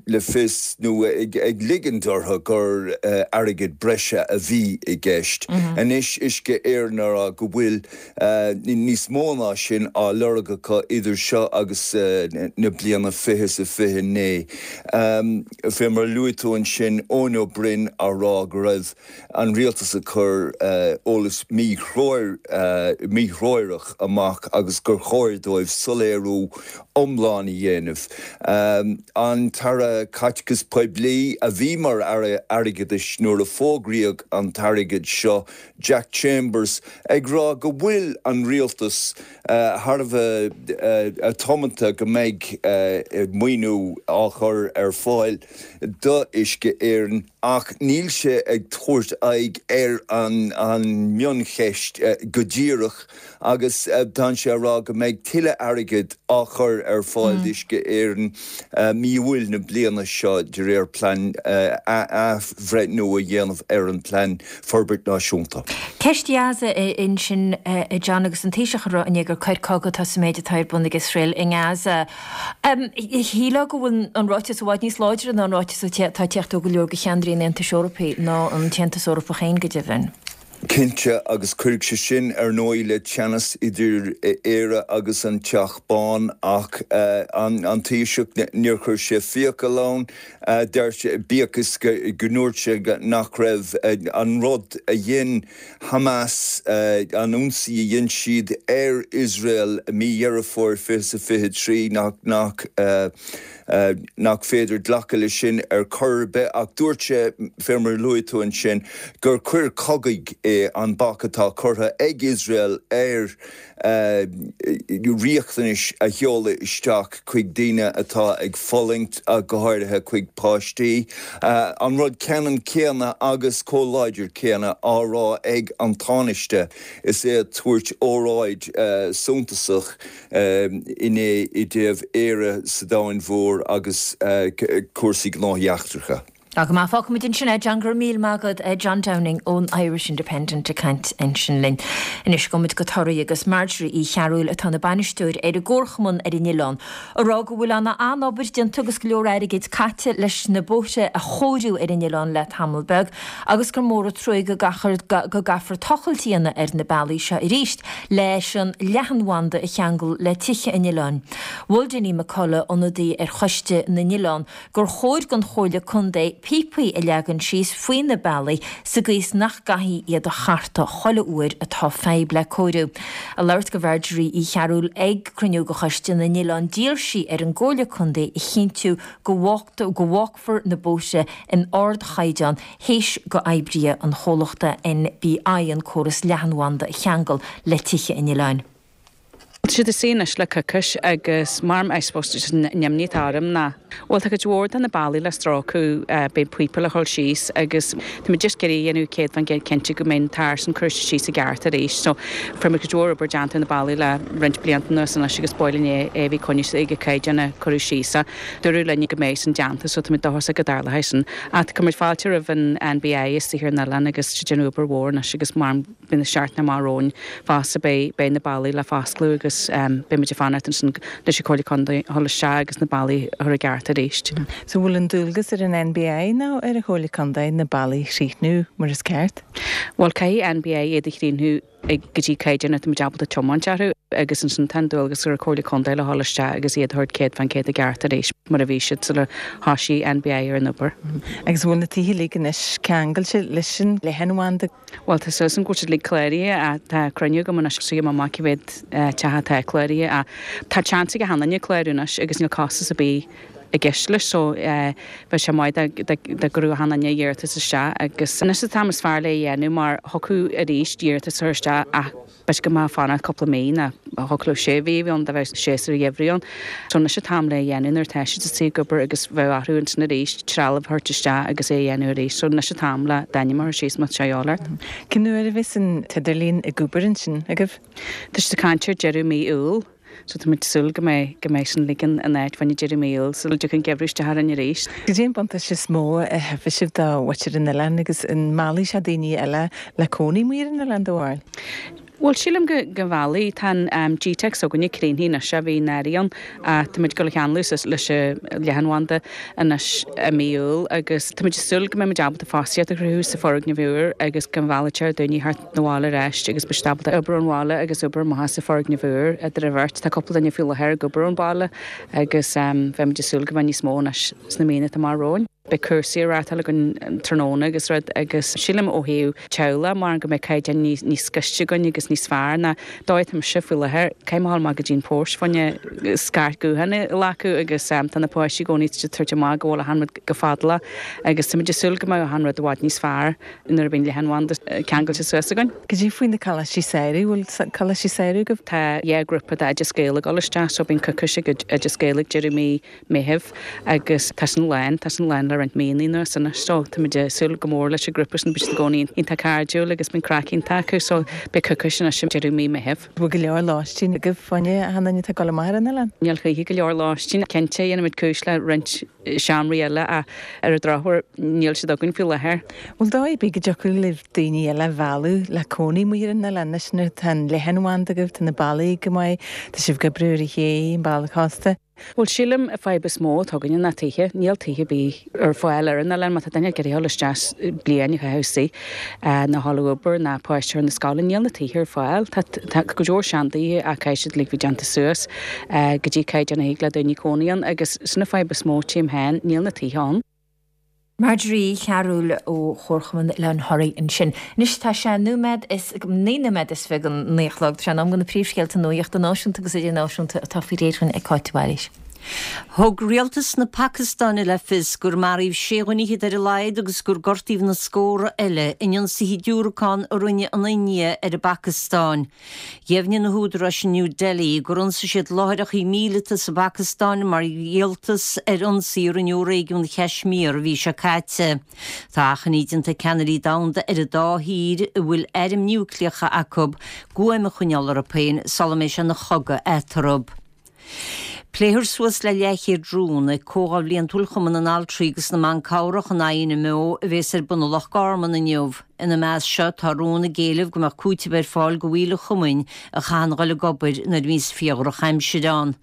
le fios nó ag ligint orthu gur airgead breise a bhí i gceist. Anois Uisce Éireann a rá go bhfuil níos mó ná sin á lorg acu idir seo agus na bliana fiche is a fiche naoi. Fé mar a luaigh tú ansin, Eoin Ó Broin á rá go raibh an rialtas ag cur eolas míthreorach amach agus gur chóir dóibh soiléiriú iomlán a dhéanamh. An tAire Caiteachais Poiblí, a bhí mar Aire Airgeadais nuair a fógraíodh an t-airgead seo, Jack Chambers, ag rá go bhfuil an rialtas thar a bheith tiomanta go mbeidh maoiniú á chur ar fáil do Uisce Éireann ach níl sé ag tabhairt aghaidh ar an mioncheist go díreach agus tá sé ag rá go mbeidh tuilleadh airgid á chur ar fáil d'Uisce Éireann mí Iúil na bliana seo de réir plean athbhreithniú a dhéanamh ar an bPlean Forbairt Náisiúnta. Ceist dheas ansin a John agus an Taoiseach ag rá inné gur coir cogaidh atá sa méid atá ar bun ag Iosrael i nGaza. Shílfeá go bhfuil an ráiteas i bhfad níos láidre ná an ráiteas atá ag teacht ó go leor de cheannairí an Aontais Eorpaigh ná an tAontas Eorpach féin go deimhin. Cinnte, agus cuirfidh sé sin ar ndóigh le teannas idir Éire agus an Teach Bán ach an Taoiseach, níor chuir sé fiacail ann, deir sé, bíodh is go ndúirt sé nach raibh an rud a dhein Hamas, an ionsaí a dhein siad ar Iosrael mí Dheireadh Fómhair fiche is a fiche trí, nach nach nach féidir glacadh leis sin ar chor ar bith ach dúirt sé, fé mar a luaigh tú ansin, gur coir chogaidh é an bac atá curtha ag Iosrael ar riachtanais a sheoladh isteach chuig daoine atá ag fulaingt, go háirithe chuig páistí. An rud ceannann céanna agus chomh láidir céanna á rá ag an Tánaiste is é ag tabhairt óráid suntasach inné i dtaobh Éire sa domhan mhór agus cúrsaí gnóthaí eachtracha. Tá go maith. Fágfaimid ansin é, John. Go raibh míle maith agat, John Downing ón Irish Independent ag caint ansin linn. Anois gabhfaimid go Toraigh agus Marjorie Uí Chearúil atá ina bainisteoir ar an gComharchumann ar an oileán ag rá go bhfuil an-obair déanta agus go leor airgid caite leis na bóithre a chóiriú ar an oileán le tamall beag agus gur mór an truaigh go gcaithfear tochailt a dhéanamh ar na bealaí seo arís leis an leathanbhanda a cheangal le tithe an oileáin. Mhol Dinny McCullough, ionadaí ar Choiste na nOileán, gur chóir don Chomhairle Contae píopaí a leagan síos faoi na bealaí sa gcaoi is nach gcaithfí iad a chartadh chuile uair atá fadhb le cóiriú. Ag labhairt do Mharjorie Uí Chearúil ag cruinniú de Choiste na nOileán d'iarr sí ar an gComhairle Contae a chinntiú go bhfágfar na bóithre in ardchaighdeán théis go oibrithe an chomhlachta NBI an córas leathanbhanda a cheangal le tithe an oileáin. Tá siad istigh anois le coicís agus mar I suppose just an imní atá orm ná bhuel tá cuid mhór de na bealaí le stróiceadh beidh píopa le dhul síos agus tá muid just ag iarraidh a dhéanamh céad faoin gcéad cinnte go mbeidh an tar san curtha síos i gceart arís so fuair muid cuid mhór obair déanta ar na bealaí le roinnt blianta anuas anois agus ba mhaith linn é é a bheith coinnithe ag an caighdeán a cuireadh síos a dúradh linn go mbeidh san déanta so tá muid dóchasach go dtarlóidh sin ach cuirimid fáilte roimh an NBI istigh ar an oileán agus tá siad ag déanamh obair mhór anois agus mar beidh na seachtaine amach romhainn fosta beidh beidh na bealaí le foscladh agus beidh muid ag fanacht ansin leis an Chomhairle Contae a dhul isteach agus na bealaí a chur i gceart arís. So bhfuil an dualgas ar an NBI nó ar an Chomhairle Contae na bealaí a chríochnú mar is ceart? Bhuel caithfidh NBI iad a chríochnú ag go dtí caighdeán atá muid ábalta tiomáint orthu agus ansin tá an dualgas ar an Chomhairle Contae le dhul isteach agus iad a thabhairt céad faoin gcéad i gceart arís mar a bhí siad sular thosaigh NBI ar an obair. Agus an bhfuil na tithe uilig anois ceangailte leis an leathanbhanda? Bhuel tá súil agam go bhfuil siad uilig cláraithe ach tá cruinniú agam anois so gheobhaidh mé amach cé mhéad teach atá cláraithe ach tá seans ag achan duine clárú anois agus níl costas ar bith i gceist leis so bheadh sé maith dá gcuirfeadh achan duine iarratas isteach agus anois an t-am is fearr le é a dhéanamh mar thiocfadh arís iarratas a chur isteach ach b'fhéidir go mbeadh fanacht cúpla mí nó thiocfadh leo sé mhí a bheith ann dá mbeadh séasúr an gheimhridh ann. So anois an t-am le é a dhéanamh nuair atá siad istigh ag obair agus bheadh orthu ansin arís trealamh a thabhairt isteach agus é a dhéanamh arís. So anois an t-am le d'ainm a chur síos má tá sé a dhíobháil ort. Cén uair a bheas an t-idirlíon ag obair ansin agaibh? Tá siad ag caint ar deireadh mí Iúil. So tá muid ag súil go mbeidh, go mbeidh sin uilig in áit fá choinne deireadh mí Iúil sula dtiocfaidh an geimhreadh isteach orainn arís. Cad é an buntáiste is mó a thabharfaidh sibh do mhuintir an oileáin agus an meallfaidh sé daoine eile le cónaí amuigh ar an oileán do bharúil? Bhuel, sílim go, go mheallfaidh. Tá an Gteic s'againne críochnaithe anois, a bhí in áirithe ann ach tá muid ag dul a cheanglú suas leis an leathanbhanda anois i mí Iúil agus tá muid ag súil go mbeidh muid ábalta fostaíocht a chruthú sa foirgneamh úr agus go meallfaidh sé daoine thart 'na bhaile ar ais agus beidh siad ábalta obair ón bhaile agus obair amach as an foirgneamh úr idir an bheirt. Tá cúpla duine faoi láthair ag obair ón bhaile agus beidh muid ag súil go mbeidh níos mó anois sna míonna atá amach romhainn. Beidh cúrsaí á reáchtáil againn tráthnóna agus rud agus sílim ó thaobh teaghlach mar go mbeidh caighdeán níos níos gaiste againn agus níos fearr ná dóigh atá mise faoi láthair. Caithfidh mé a dhul amach go dtí an post fá choinne scairt gutháin a ghlacadh agus tá na páistí i gcónaí ag tabhairt amach go bhfuil achan rud go fadálach agus táimid ag súil go mbeidh achan rud i bhfad níos fearr nuair a bhíonn leathanbhanda ceangailte suas againn. Cad é faoi na coláistí samhraidh? Bhfuil coláistí samhraidh agaibh? Tá dhá ghrúpa d'Oideas Gael ag dul isteach so bíonn coicís ag Oideas Gael ag deireadh mí Meitheamh agus tá sin lán, tá sin lán le roinnt míonna anuas anois so táimid ag súil go mór leis an ghrúpa sin, beidh siad i gcónaí iontach cairdiúil agus bíonn craic iontach acu so beidh coicís anois ag deireadh mí Meitheamh. Bhfuil go leor lóistín agaibh fá choinne achan duine atá ag dul amach ar an oileán? Níl choíche go leor lóistín. Cinnte, dhéanfaimid cúis le roinnt seomraí eile ach ar an drochuair níl siad againn faoi láthair. Bhfuil dóigh ar bith go dtiocfadh libh daoine eile a mhealladh le cónaí amuigh ar an oileán anois nuair atá an leathanbhanda agaibh, tá na bealaí go maith, tá sibh ag oibriú ar an ché, an bealach cósta. Bhuel, sílim an fadhb is mó atá againne ná tithe. Níl tithe ar bith ar fáil ar an oileán. Má tá duine ag iarraidh a dhul isteach bliain a chaitheamh istigh, nó a dhul ag obair, ná páiste a chur na scoile, níl na tithe ar fáil. Tá tá go leor seantithe ach caithfidh siad uilig bheith déanta suas go dtí caighdeán a thig le daoine cónaí ann agus sin an fadhb is mó, tchím féin, níl na tithe ann. Marjorie Uí Chearúil ó Chomharchumann Oileán Thoraí ansin. Anois tá sé nóiméad is, naoi nóiméad is fiche don naoi a chlog. Tá sé in am do na príomhscéalta nuachta náisiúnta agus idirnáisiúnta atá faoi réir againn ag Cáit de Bhailís. Thug rialtas na Pacastáine le fios gur maraíodh sé dhuine fhichead ar a laghad agus gur gortaíodh na scórtha eile in ionsaithe diúracán a rinne an India ar an bPacastáin. Dheimhnigh na húdaráis in New Delhi gur ionsaigh siad láithreacha míleata sa bPacastáin mar dhíoltas ar ionsaí a rinneadh i réigiún Chaismír an mhí seo caite. Tá achainí déanta ag ceannairí domhanda ar an dá thír a bhfuil airm núicléacha acu guaim a choinneáil orthu féin sula mbeidh sé ina chogadh eatarthu. Pléifear suas le leathchéad rún ag Comhdháil Bhliantúil Chumann na nAltraí agus na mBan Cabhrach, an INMO, a bhéas ar bun i Loch Garman inniu. Ina measc seo tá rún ag éileamh go mbeadh cúiteamh ar fáil do bhaill an chumainn a chaitheann dhul ag obair nuair a bhíonns fíordhrochaimsir ann.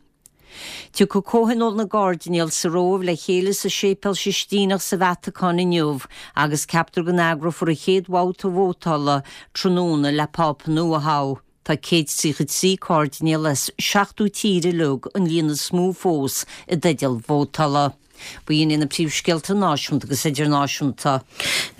Tiocfaidh Comhthionól na gCairdinéal sa Róimh le chéile sa Séipéal Sistíneach sa Vatacáin inniu agus ceaptar go n-eagrófar an chéad bhabhta vótála tráthnóna le Pápa nua a thoghadh. Tá céad tríocha trí cairdinéal as seachtó tír uilig, an líon is mó fós, i dteideal vótála. B'in iad na príomhscéalta náisiúnta agus idirnáisiúnta.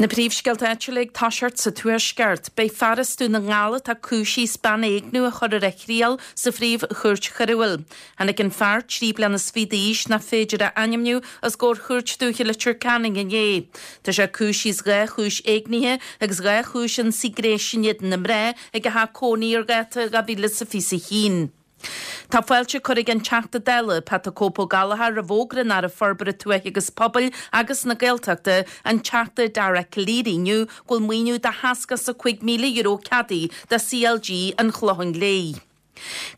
Na príomhscéalta áitiúla ag toiseacht sa Tuaisceart. Beidh fear as Dún na nGall atá cúisithe as bean a éigniú a chur ar a thriail sa Phríomh-Chúirt Choiriúil. Tháinig an fear, trí bliana is fiche d'aois, nach féidir a ainmniú, os comhair Chúirt Dúiche Leitir Ceanainn inné. Tá sé cúisithe as dhá chúis éignithe agus dhá chúis ionsaí gnéis in éadan na mná ag a theach cónaí ar dháta dhá mhíle is a fiche a haon. Tá fáilte curtha ag an Teachta Dála, Pat 'The Cope Ó Gallchóir, roimh fhógra an Aire Forbartha Tuaithe agus Pobail agus na Gaeltachta, an Teachta Dara Calleary inniu go bhfuil maoiniú de sheasca is a cúig míle euro ceadaithe do CLG an Chlocháin Léith.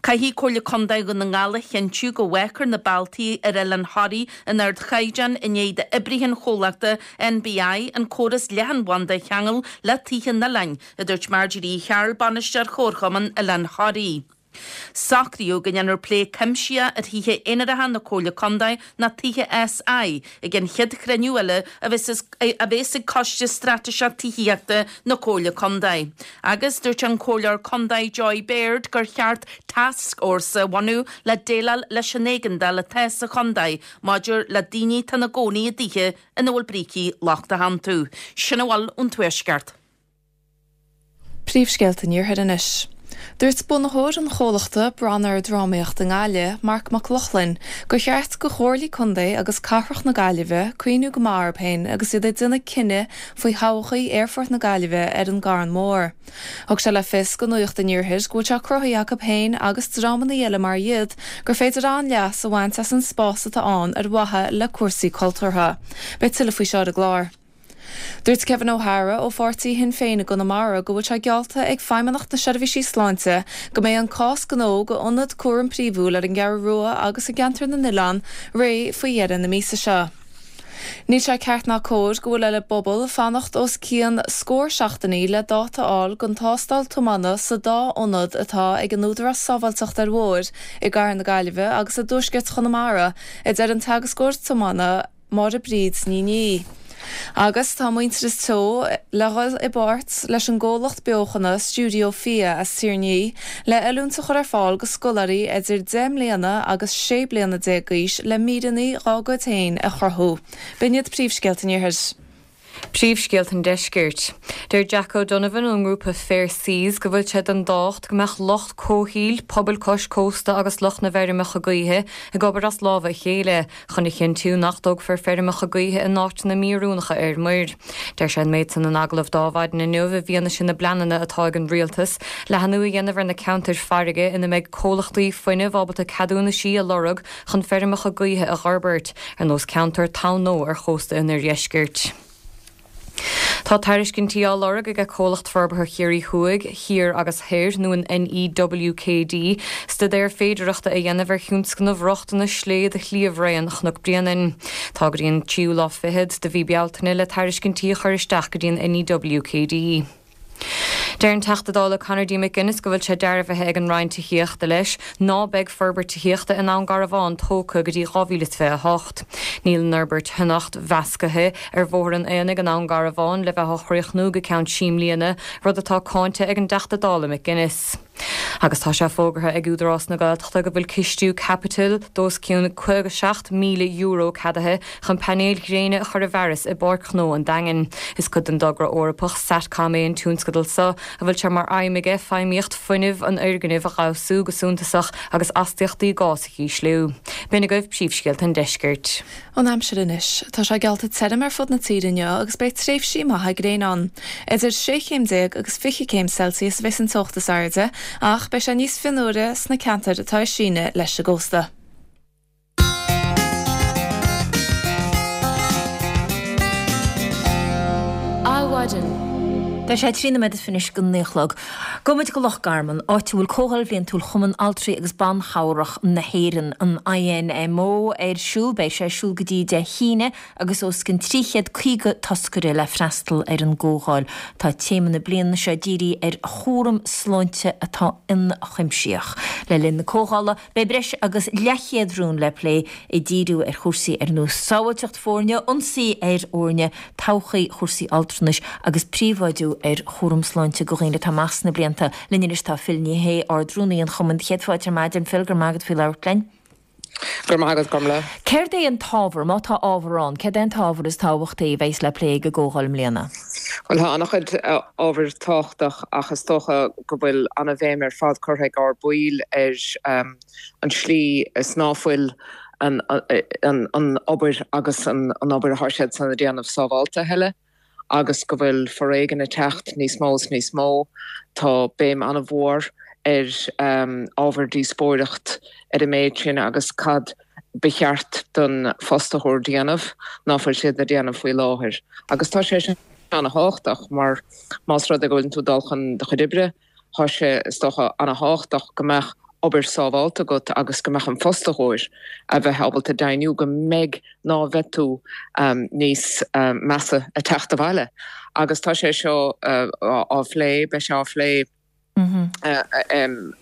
Caithfidh Comhairle Contae Dhún na nGall a chinntiú go bhfágfar na bealtaí ar Oileán Thoraí in ardchaighdeán i ndiaidh d'oibrithe an chomhlachta NBI an córas leathanbhanda a cheangal le tithe an oileáin, a dúirt Marjorie Uí Chearúil, Bainisteoir Chomharchumann Oileán Thoraí. Socraíodh go ndéanfar plé cuimsitheach ar thithe aonaracha na Comhairle Contae nó tithe SI ag an chéad chruinniú eile a bheas ag Coiste Straitéiseach Tithíochta na Comhairle Contae. Agus dúirt an Comhairleoir Contae Joy Baird gur cheart tascfhórsa a bhunú le déileáil leis an éigeandáil atá sa chontae maidir le daoine atá ina gcónaí i dtithe ina bhfuil brící lochtacha iontu. Sin a bhfuil ón Tuaisceart. Príomhscéalta an Iarthair anois. Dúirt bunaitheoir an chomhlachta Branar Drámaíocht i nGaillimh, Marc Mac Lochlainn, gur cheart go Chomhairlí Contae agus Cathrach na Gaillimhe cuimhniú go maith orthu féin agus iad ag déanamh cinneadh faoi thodhchaí Aerfort na Gaillimhe ar an gCarn Mór. Thug sé le fios go Nuacht an Iarthair go bhfuil sé cruthaithe acu féin agus dreamanna eile mar iad gur féidir an-leas a bhaint as an spás atá ann ar mhaithe le cúrsaí cultúrtha. Beidh tuilleadh faoi seo ar an gclár. Dúirt Kevin O'Hara ó pháirtí Shinn Féin i gConamara go bhfuil sé geallta ag Feidhmeannacht na Seirbhísí Sláinte go mbeidh an cás gnó go ionad cúram príomhúil ar an gCeathrú Rua agus i gCeantar na nOileán réidh faoi dheireadh na míosa seo. Níl sé ceart ná cóir go bhfuil ar an bpobal fanacht os cionn scór seachtainí le dáta a fháil don tástáil tiomána sa dá ionad atá ag an Údarás Sábháilteachta ar Bhóithre i gCathair na Gaillimhe agus i dTuaisceart Chonamara, a deir an teagascóir tiomána Máire Bríd Ní Niaidh. Agus tá Muintearas Teo le dhul i bpáirt leis an gcomhlacht beochana Stiúideo Fia as Tír an Fhia le oiliúint a chur ar fáil go scoláirí idir deich mbliana agus sé bliana déag d'aois le míreanna dhá gcuid féin a chruthú. B'in iad príomhscéalta an Iarthair. Príomhscéalta an Deiscirt. Deir Jack O'Donovan ón ngrúpa Fair Seas go bhfuil sé den tábhacht go mbeadh lucht comhshaoil, pobail cois cósta agus lucht na bhfeirmeacha gaoithe ag obair as lámha a chéile chun a chinntiú nach dtógfar feirmeacha gaoithe in áiteanna míoiriúnacha ar muir. Deir sé an méid san in agallamh d'Adhmhaidin inniu i bhfianaise na bpleananna atá ag an rialtas leathnú a dhéanamh ar na ceantair farraige ina mbeidh comhlachtaí fuinnimh ábalta ceadúnaisí a lorg chun feirmeacha gaoithe a fhorbairt, ar nós ceantar Tamhnó ar chósta an oirdheiscirt. Tá tairiscintí á lorg ag Comhlacht Forbartha Chiarraí Thuaidh, Thiar agus Thoir nó an NEWKD, staidéar féidearthachta a dhéanamh ar thionscnamh rochtana slé do shliabhraon Chnoc Bréanainn. Tá go dtí an tríú lá fichead de mhí Bealtaine le tairiscintí a chur isteach go dtí an NEWKD. Deir an Teachta Dála Conor D. McGuinness go bhfuil sé dearbhaithe ag an Roinn Tithíochta leis ná beidh forbairt tithíochta i nDún Garbhán tógtha go dtí dhá mhíle is fiche a hocht. Níl an fhorbairt thionacht mheasctha ar Bhóthar an Aonaigh i nDún Garbhán le bheith á chríochnú go ceann trí mbliana, rud atá cáinte ag an dTeachta Dála McGuinness. Agus tá sé fógartha ag Údarás na Gaeltachta go bhfuil cistiú caipitil d'os cionn caoga seacht míle euro ceadaithe chun painéil ghréine a chur i bhfearas i bPáirc Ghnó an Daingin. Is cuid den dtogra Eorpach SatCom é an tionscadal seo, a bhfuil sé mar aidhm aige feidhmíocht fuinnimh an fhoirgnimh a fheabhsú go suntasach agus astaíochtaí gás a ísliú. B'in agaibh príomhscéalta an deiscirt. An aimsir anois. Tá sé geallta tirim ar fud na tíre inniu agus beidh tréimhsí maithe gréine ann. Idir sé chéim déag agus fiche céim Celsius a bheas an teocht is airde, ach beidh sé níos fionnuaire sna ceantair atá ag síneadh leis an gcósta. Adhmhaidin. Tá sé trí nóiméad is fiche anois go naoi a chlog. Gabhfaidh muid go Loch Garman, áit a bhfuil Comhdháil Bhliantúil Chumann Altraí agus Ban Chabhrach na hÉireann, an INMO, ar siúl. Beidh sé ar siúl go dtí Dé hAoine agus os cionn trí chéad caoga toscaire le freastal ar an gcomhdháil. Tá téama na bliana seo dírithe ar chúram sláinte atá ionchuimsitheach. Le linn na comhdhála, beidh breis agus leathchéad rún le plé, ag díriú ar chúrsaí ar nós sábháilteacht foirne, ionsaí ar fhoirne, todhchaí chúrsaí altranais agus príobháidiú ar chúram sláinte do dhaoine atá amach sna blianta. Linn anois tá Phil Ní Sheaghdha, Ard-Rúnaí an Chumainn. Céad fáilte ar maidin, Phil, go raibh maith agat faoi labhairt linn. Go raibh maith agat, Gormlaith. Céard é an t-ábhar, má tá ábhar ann, céard é an t-ábhar is tábhachtaí a bheas le plé ag an gcomhdháil i mbliana? Bhuel, tá an-chuid ábhair tábhachtach ach is dócha go bhfuil an-bhéim ar fad curtha ag ár baill ar an slí is ná fuil an obair agus an obair atá siadsan a déanamh sábháilte a thuilleadh agus go bhfuil foréigean ag teacht níos mó is níos mó. Tá béim an-mhór ar ábhar díospóireacht ar an méid sin agus cad ba cheart don fhostaitheoir déanamh ná fuil siad a déanamh faoi láthair. Agus tá sé sin an-thábhachtach mar más rud é go bhfuil tú ag dul chun do chuid oibre, tá sé is dócha an-thábhachtach go mbeadh obair sábháilte agat agus go mbeadh an fostaitheoir a bheith ábalta deimhniú go mbeidh ná bheith tú níos measa ag teacht abhaile. Agus tá sé seo á phlé, beidh sé á phlé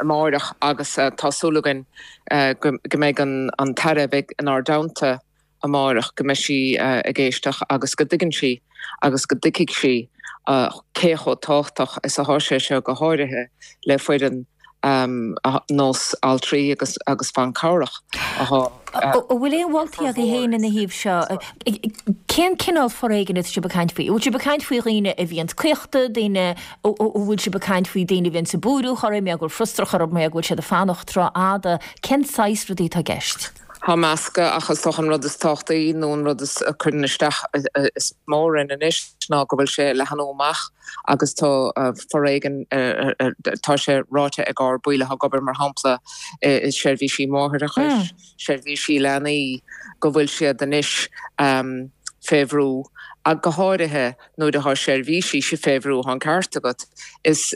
amáireach agus tá súil againn go mbeidh an tAire a bheidh inár dteannta amáireach, go mbeidh sí ag éisteacht agus go dtuigeann sí agus go dtuigfidh sí cé chomh tábhachtach is atá sé seo go háirithe le foireann nós altraí agus agus ban cabhrach atá. An bhfuil aon mholtaí agaibh féin ina thaobh seo? Cén cineál foréigin atá sibh ag caint faoi? An bhfuil sibh ag caint faoi dhaoine a bhíonns caochta, daoine, an bhfuil sibh ag caint faoi daoine a bhíonns ag búireadh orthu, mar go bhfuil frustrachas orthu mar go bhfuil siad ag fanacht tráth fhada? Cén saghas rudaí atá i gceist? Tá meascadh ach is dócha an rud is tábhachtaí nó an rud is a chuireann isteach is mó orainn anois ná go bhfuil sé ag leathnú amach agus tá foréigean, tá sé ráite ag ár baill atá ag obair mar shampla i seirbhísí máithreachais, seirbhísí leanaí, go bhfuil siad anois fé bhrú ach go háirithe nuair atá seirbhísí fé bhrú, tá an ceart agat, is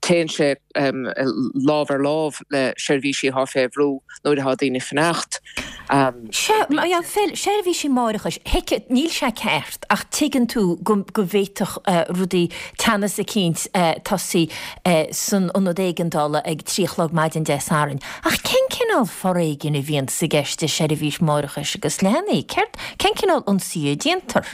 téann sé lámh ar lámh le seirbhísí atá fé bhrú nuair atá daoine ag fanacht. Sea, Phil, seirbhísí máithreachais, thuig, níl sé ceart ach tuigeann tú go bhféadfadh rudaí, teannas eicínt tosaí san ionad éigeandála ag trí a chlog maidin Dé Sathairn. Ach cén cineál foréigin a bhíonns i gceist i seirbhís máithreachais agus leanaí? Céard, cén cineál ionsaí a déantar?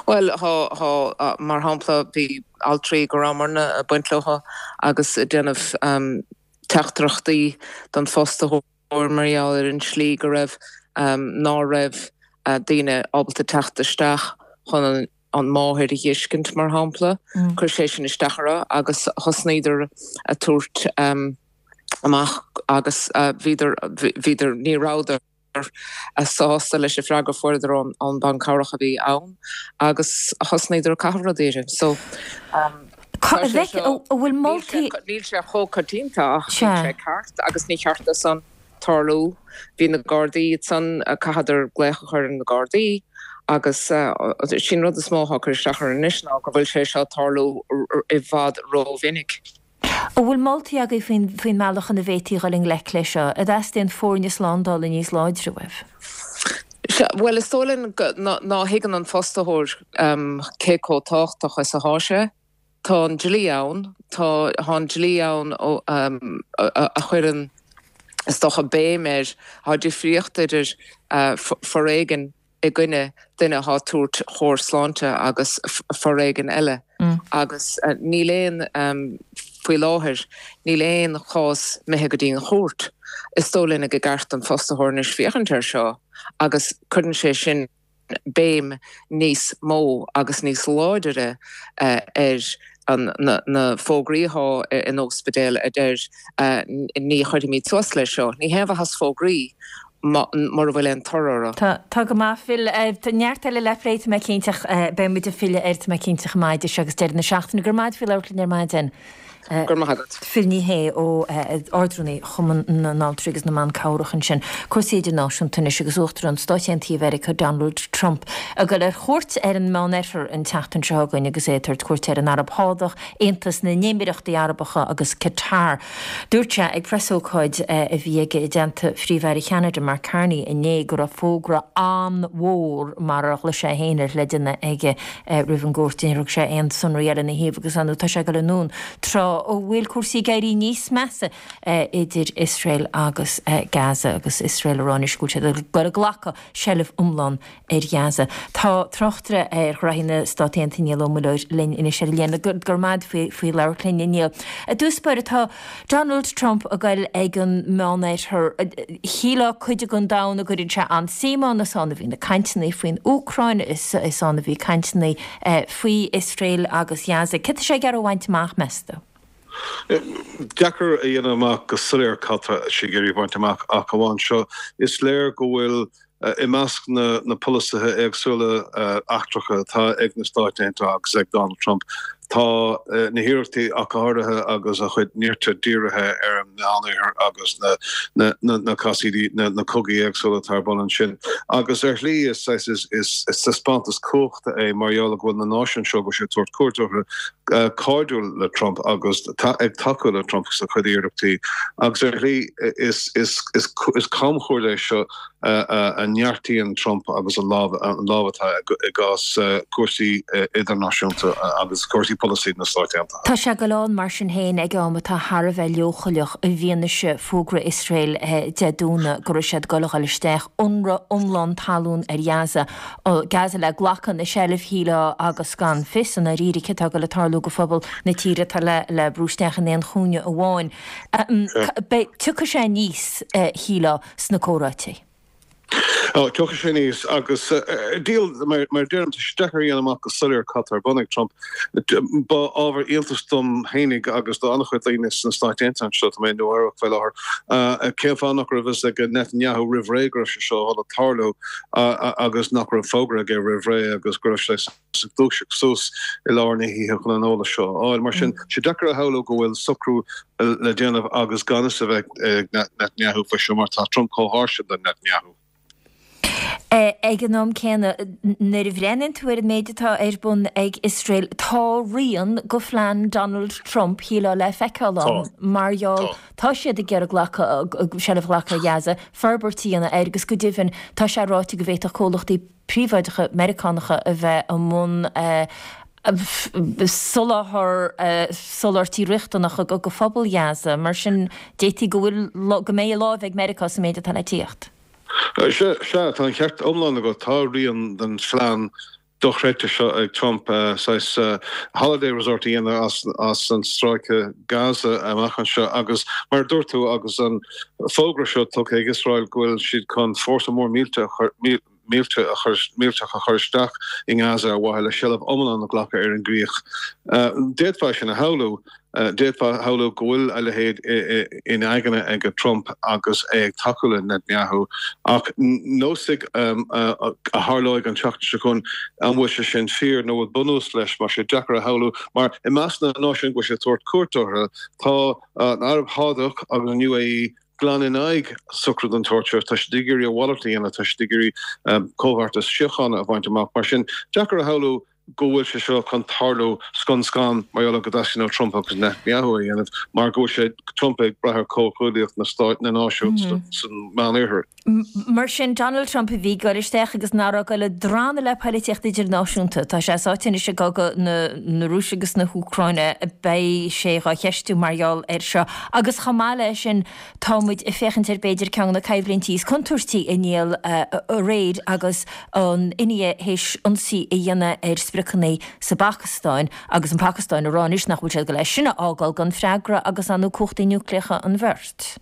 Bhuel, thá, thá, mar shampla, bhí altraí go rabhamarna ag baint leo agus ag déanamh teachtaireachtaí don fhostaitheoir mar gheall ar an slí go raibh, ná raibh daoine ábalta teacht isteach chun an, an máthair a dh'fheiscint, mar shampla. Chuir sé sin isteach orthu agus thosnaíodar a tabhairt amach agus bhíodar, bhíodar, ní rabhadar sásta leis an freagra a fuaireadar ón bhean cabhrach a bhí ann agus thosnaíodar ag caitheamh rudaí uirthi. So, tá sé seo, níl sé chomh coitianta ach níl sé ceart agus ní cheart dó san tarlú. Bhí na Gardaí ansan, chaitheadar glaoch a chur ar na Gardaí agus sin rud is mó atá ag cur isteach orainn anois ná go bhfuil sé seo ag tarlú i bhfad rómhinic. An bhfuil moltaí agaibh faoin faoin mbealach ina bhféadfaí dhul i ngleic leis seo? An dteastaíonn foirne slándála níos láidre uaibh? Sea, bhuel is dóigh linn go, ná thuigeann an fostaitheoir cé chomh tábhachtach is atá sé. Tá an dlí ann, tá an dlí ann a chuireann, is dócha, béim air, tá difríocht idir foréigean i gcoinne duine atá ag tabhairt chóir sláinte agus foréigean eile agus níl aon, faoi láthair, níl aon chás imithe go dtí an chúirt. Is dóigh linn gur ceart don fostaitheoir anois féachaint air seo agus cuireann sé sin béim níos mó agus níos láidire ar na fógraí atá in ospidéil a deir ní chuirfimid suas leis seo. Ní haon mhaitheas fógraí mura bhfuil aon toradh orthu. Tá, tá go maith, Phil. Tá neart eile le plé, tá mé cinnte, ach beidh muid ag filleadh air, tá mé cinnte, chomh maith idir seo agus deireadh na seachtaine. Go raibh maith agat faoi labhairt linn ar maidin. Go raibh maith agat. Phil Ní Sheaghdha ó Ard-Rúnaí Chumann na nAltraí agus na mBan Cabhrach ansin. Cúrsaí idirnáisiúnta anois agus Uachtarán Stáit Aontaithe Mheiriceá Donald Trump ag dul ar chuairt ar an Meánoirthear an tseachtain seo chugainn agus é ag tabhairt cuairte ar an Araib Shádach, Aontas na nÉimíreachtaí Arabacha agus Qatar. Dúirt sé ag preasócáid a bhí aige i dteannta Phríomh-Aire Cheanada Mark Carney inné go raibh fógra an-mhór, mar a ghlaoigh sé féin air, le déanamh aige roimh an gcuairt. Níor thug sé aon sonraí eile ina thaobh agus ar ndóigh tá sé ag dul anonn tráth a bhfuil cúrsaí ag éirí níos measa idir Iosrael agus Gaza agus Iosrael ag rá anois go bhfuil siad ag dul a ghlacadh seilbh iomlán ar Ghaza. Tá tráchtaire ar ghraithí na Stát Aontaithe Niall Ó Muilleoir linn anois ar an líne. Go raibh maith agat faoi labhairt linn, a Niall. I dtús báire, tá Donald Trump ag goil ag an Meánoirthear. Shílfeá cuid den domhan a gcuireann sé an-suim ann, is ann a bhí na cainteanna faoin Úcráin, is ann a bhí cainteanna faoi Iosrael agus Gaza. Céard tá sé ag iarraidh a bhaint amach, meas tú? Deacair a dhéanamh amach go soiléir cad tá sé ag iarraidh a bhaint amach ach amháin seo, is léir go bhfuil i measc na polasaithe éagsúla eachtracha atá ag na Stáit Aontaithe agus ag Donald Trump, tá na hiarrachtaí ach go háirithe agus a chuid nirt dírithe ar an Meánoirthear agus na casaoidí, na cogaí éagsúla atá ar bun ansin. Agus ar shlí is is taispeántas cumhachta é mar gheall go bhfuil na náisiúin seo go bhfuil sé ag tabhairt cuairt orthu cairdiúil le Trump agus ag tacú le Trump sa chuid iarrachtaí. Agus ar shlí is camchuairt é seo a neartaíonn Trump agus an lámh an lámh atá i gcás cúrsaí idirnáisiúnta agus cúrsaí polasaí na Stáit Aontaithe. Tá sé ag dul ann mar sin féin ag am atá thar a bheith leochaileach i bhfianaise fógra Iosrael Dé Domhnaigh go raibh siad ag dul a dhul isteach, ionradh iomlán talún ar Ghaza, Gaza le glacadh ina seilbh shílfeá agus gan fios i ndáiríre céard atá ag dul a tarlú go phobal na tíre atá le le brú isteach in aon chúinne amháin. Beidh, tiocfaidh sé aníos shílfeá sna comhráití. Ó, tiocfaidh sé aníos agus díol, mar a deirim, tá sé deacair a dhéanamh amach go soiléir cad tá ar bun ag Trump. Ba ábhar iontais dom fhéinig agus do an-chuid daoine sna Stáit Aontaithe anseo, tá mé i Nua Eabhrac faoi láthair, cén fáth nach raibh fhios ag Netanyahu roimh ré go raibh sé seo a dhul a tarlú agus nach raibh fógra aige roimh ré agus go raibh sé ag dúiseacht suas i lár na hoíche chun an eolas seo a fháil. Mar sin, sé deacair a shamhlú go bhfuil socrú le déanamh agus gan fhios a bheith ag Netanyahu faoi seo mar tá Trump chomh har sin do Netanyahu. Ag an am céanna, nuair a bhreathnaíonn tú ar an méid atá ar bun ag Iosrael, tá rian de phlean Donald Trump, shílfeá, le feiceáil ann mar gheall, tá siad ag iarraidh glacadh, seilbh a ghlacadh ar Ghaza, forbairt a dhéanamh air agus go deimhin tá sé ráite go bhféadfadh comhlachtaí príobháideacha Meiriceánacha a bheith i mbun soláthar soláthairtí riachtanacha go phobal Ghaza. Mar sin, d'fhéadfaí go bhfuil, go mbeidh láimh ag Meiriceá sa méid atá le tíocht. Sea, tá an ceart iomlán agat. Tá rian den phlean dochreidte seo ag Trump, saghas holiday resort a dhéanamh as an stráice Gaza amach anseo agus mar a dúirt tú agus an fógra seo tugtha ag Iosrael go bhfuil siad chun fórsa mór mílte a chur mílte a chur millteach a chur isteach i nGaza ar mhaithe le seilbh iomlán a ghlacadh ar an gcríoch. D'fhéadfá é sin a shamhlú. D'fhéadfá a shamhlú go bhfuil a leithéid in aigne ag Trump agus é ag tacú le Netanyahu. Ach neosfaidh a tharlóidh an tseachtain seo chugainn an bhfuil sé sin fíor nó bhfuil bunús leis mar sé deacair a shamhlú mar i measc na náisiún go bhfuil sé ag tabhairt cuairt orthu tá an Araib Shádach agus an UAE glan in aghaidh socrú den tsórt seo. Tá siad ag iarraidh a mhalairt a dhéanamh, tá siad ag iarraidh comhbheartas síochána a bhaint amach. Mar sin, deacair a shamhlú go bhfuil sé seo chun tarlú scun scan mar gheall ar go dteastaíonn ó Trump agus Netanyahu a dhéanamh mar go bhfuil sé, Trump, ag brath ar chomhghuaillíocht na Stáit, na náisiún san Meánoirthear. Mar sin, Donald Trump a bhí ag dul isteach agus nach raibh ag dul ag drannadh le poilitíocht idirnáisiúnta. Tá sé sáite anois i gcogadh na Rúise agus na hÚcráine. Beidh sé dhá cheistiú mar gheall air seo. Agus chomh maith leis sin, tá muid ag féachaint ar b'fhéidir ceann de na coimhlintí is contúirtí a Niall aréir agus an India théis ionsaí a dhéanamh ar spriocanna sa bPacastáin agus an Phacastáin ag rá anois nach bhfuil siad ag dul é sin a fhágáil gan freagra agus ar ndóigh cumhachtaí núicléacha an bheirt.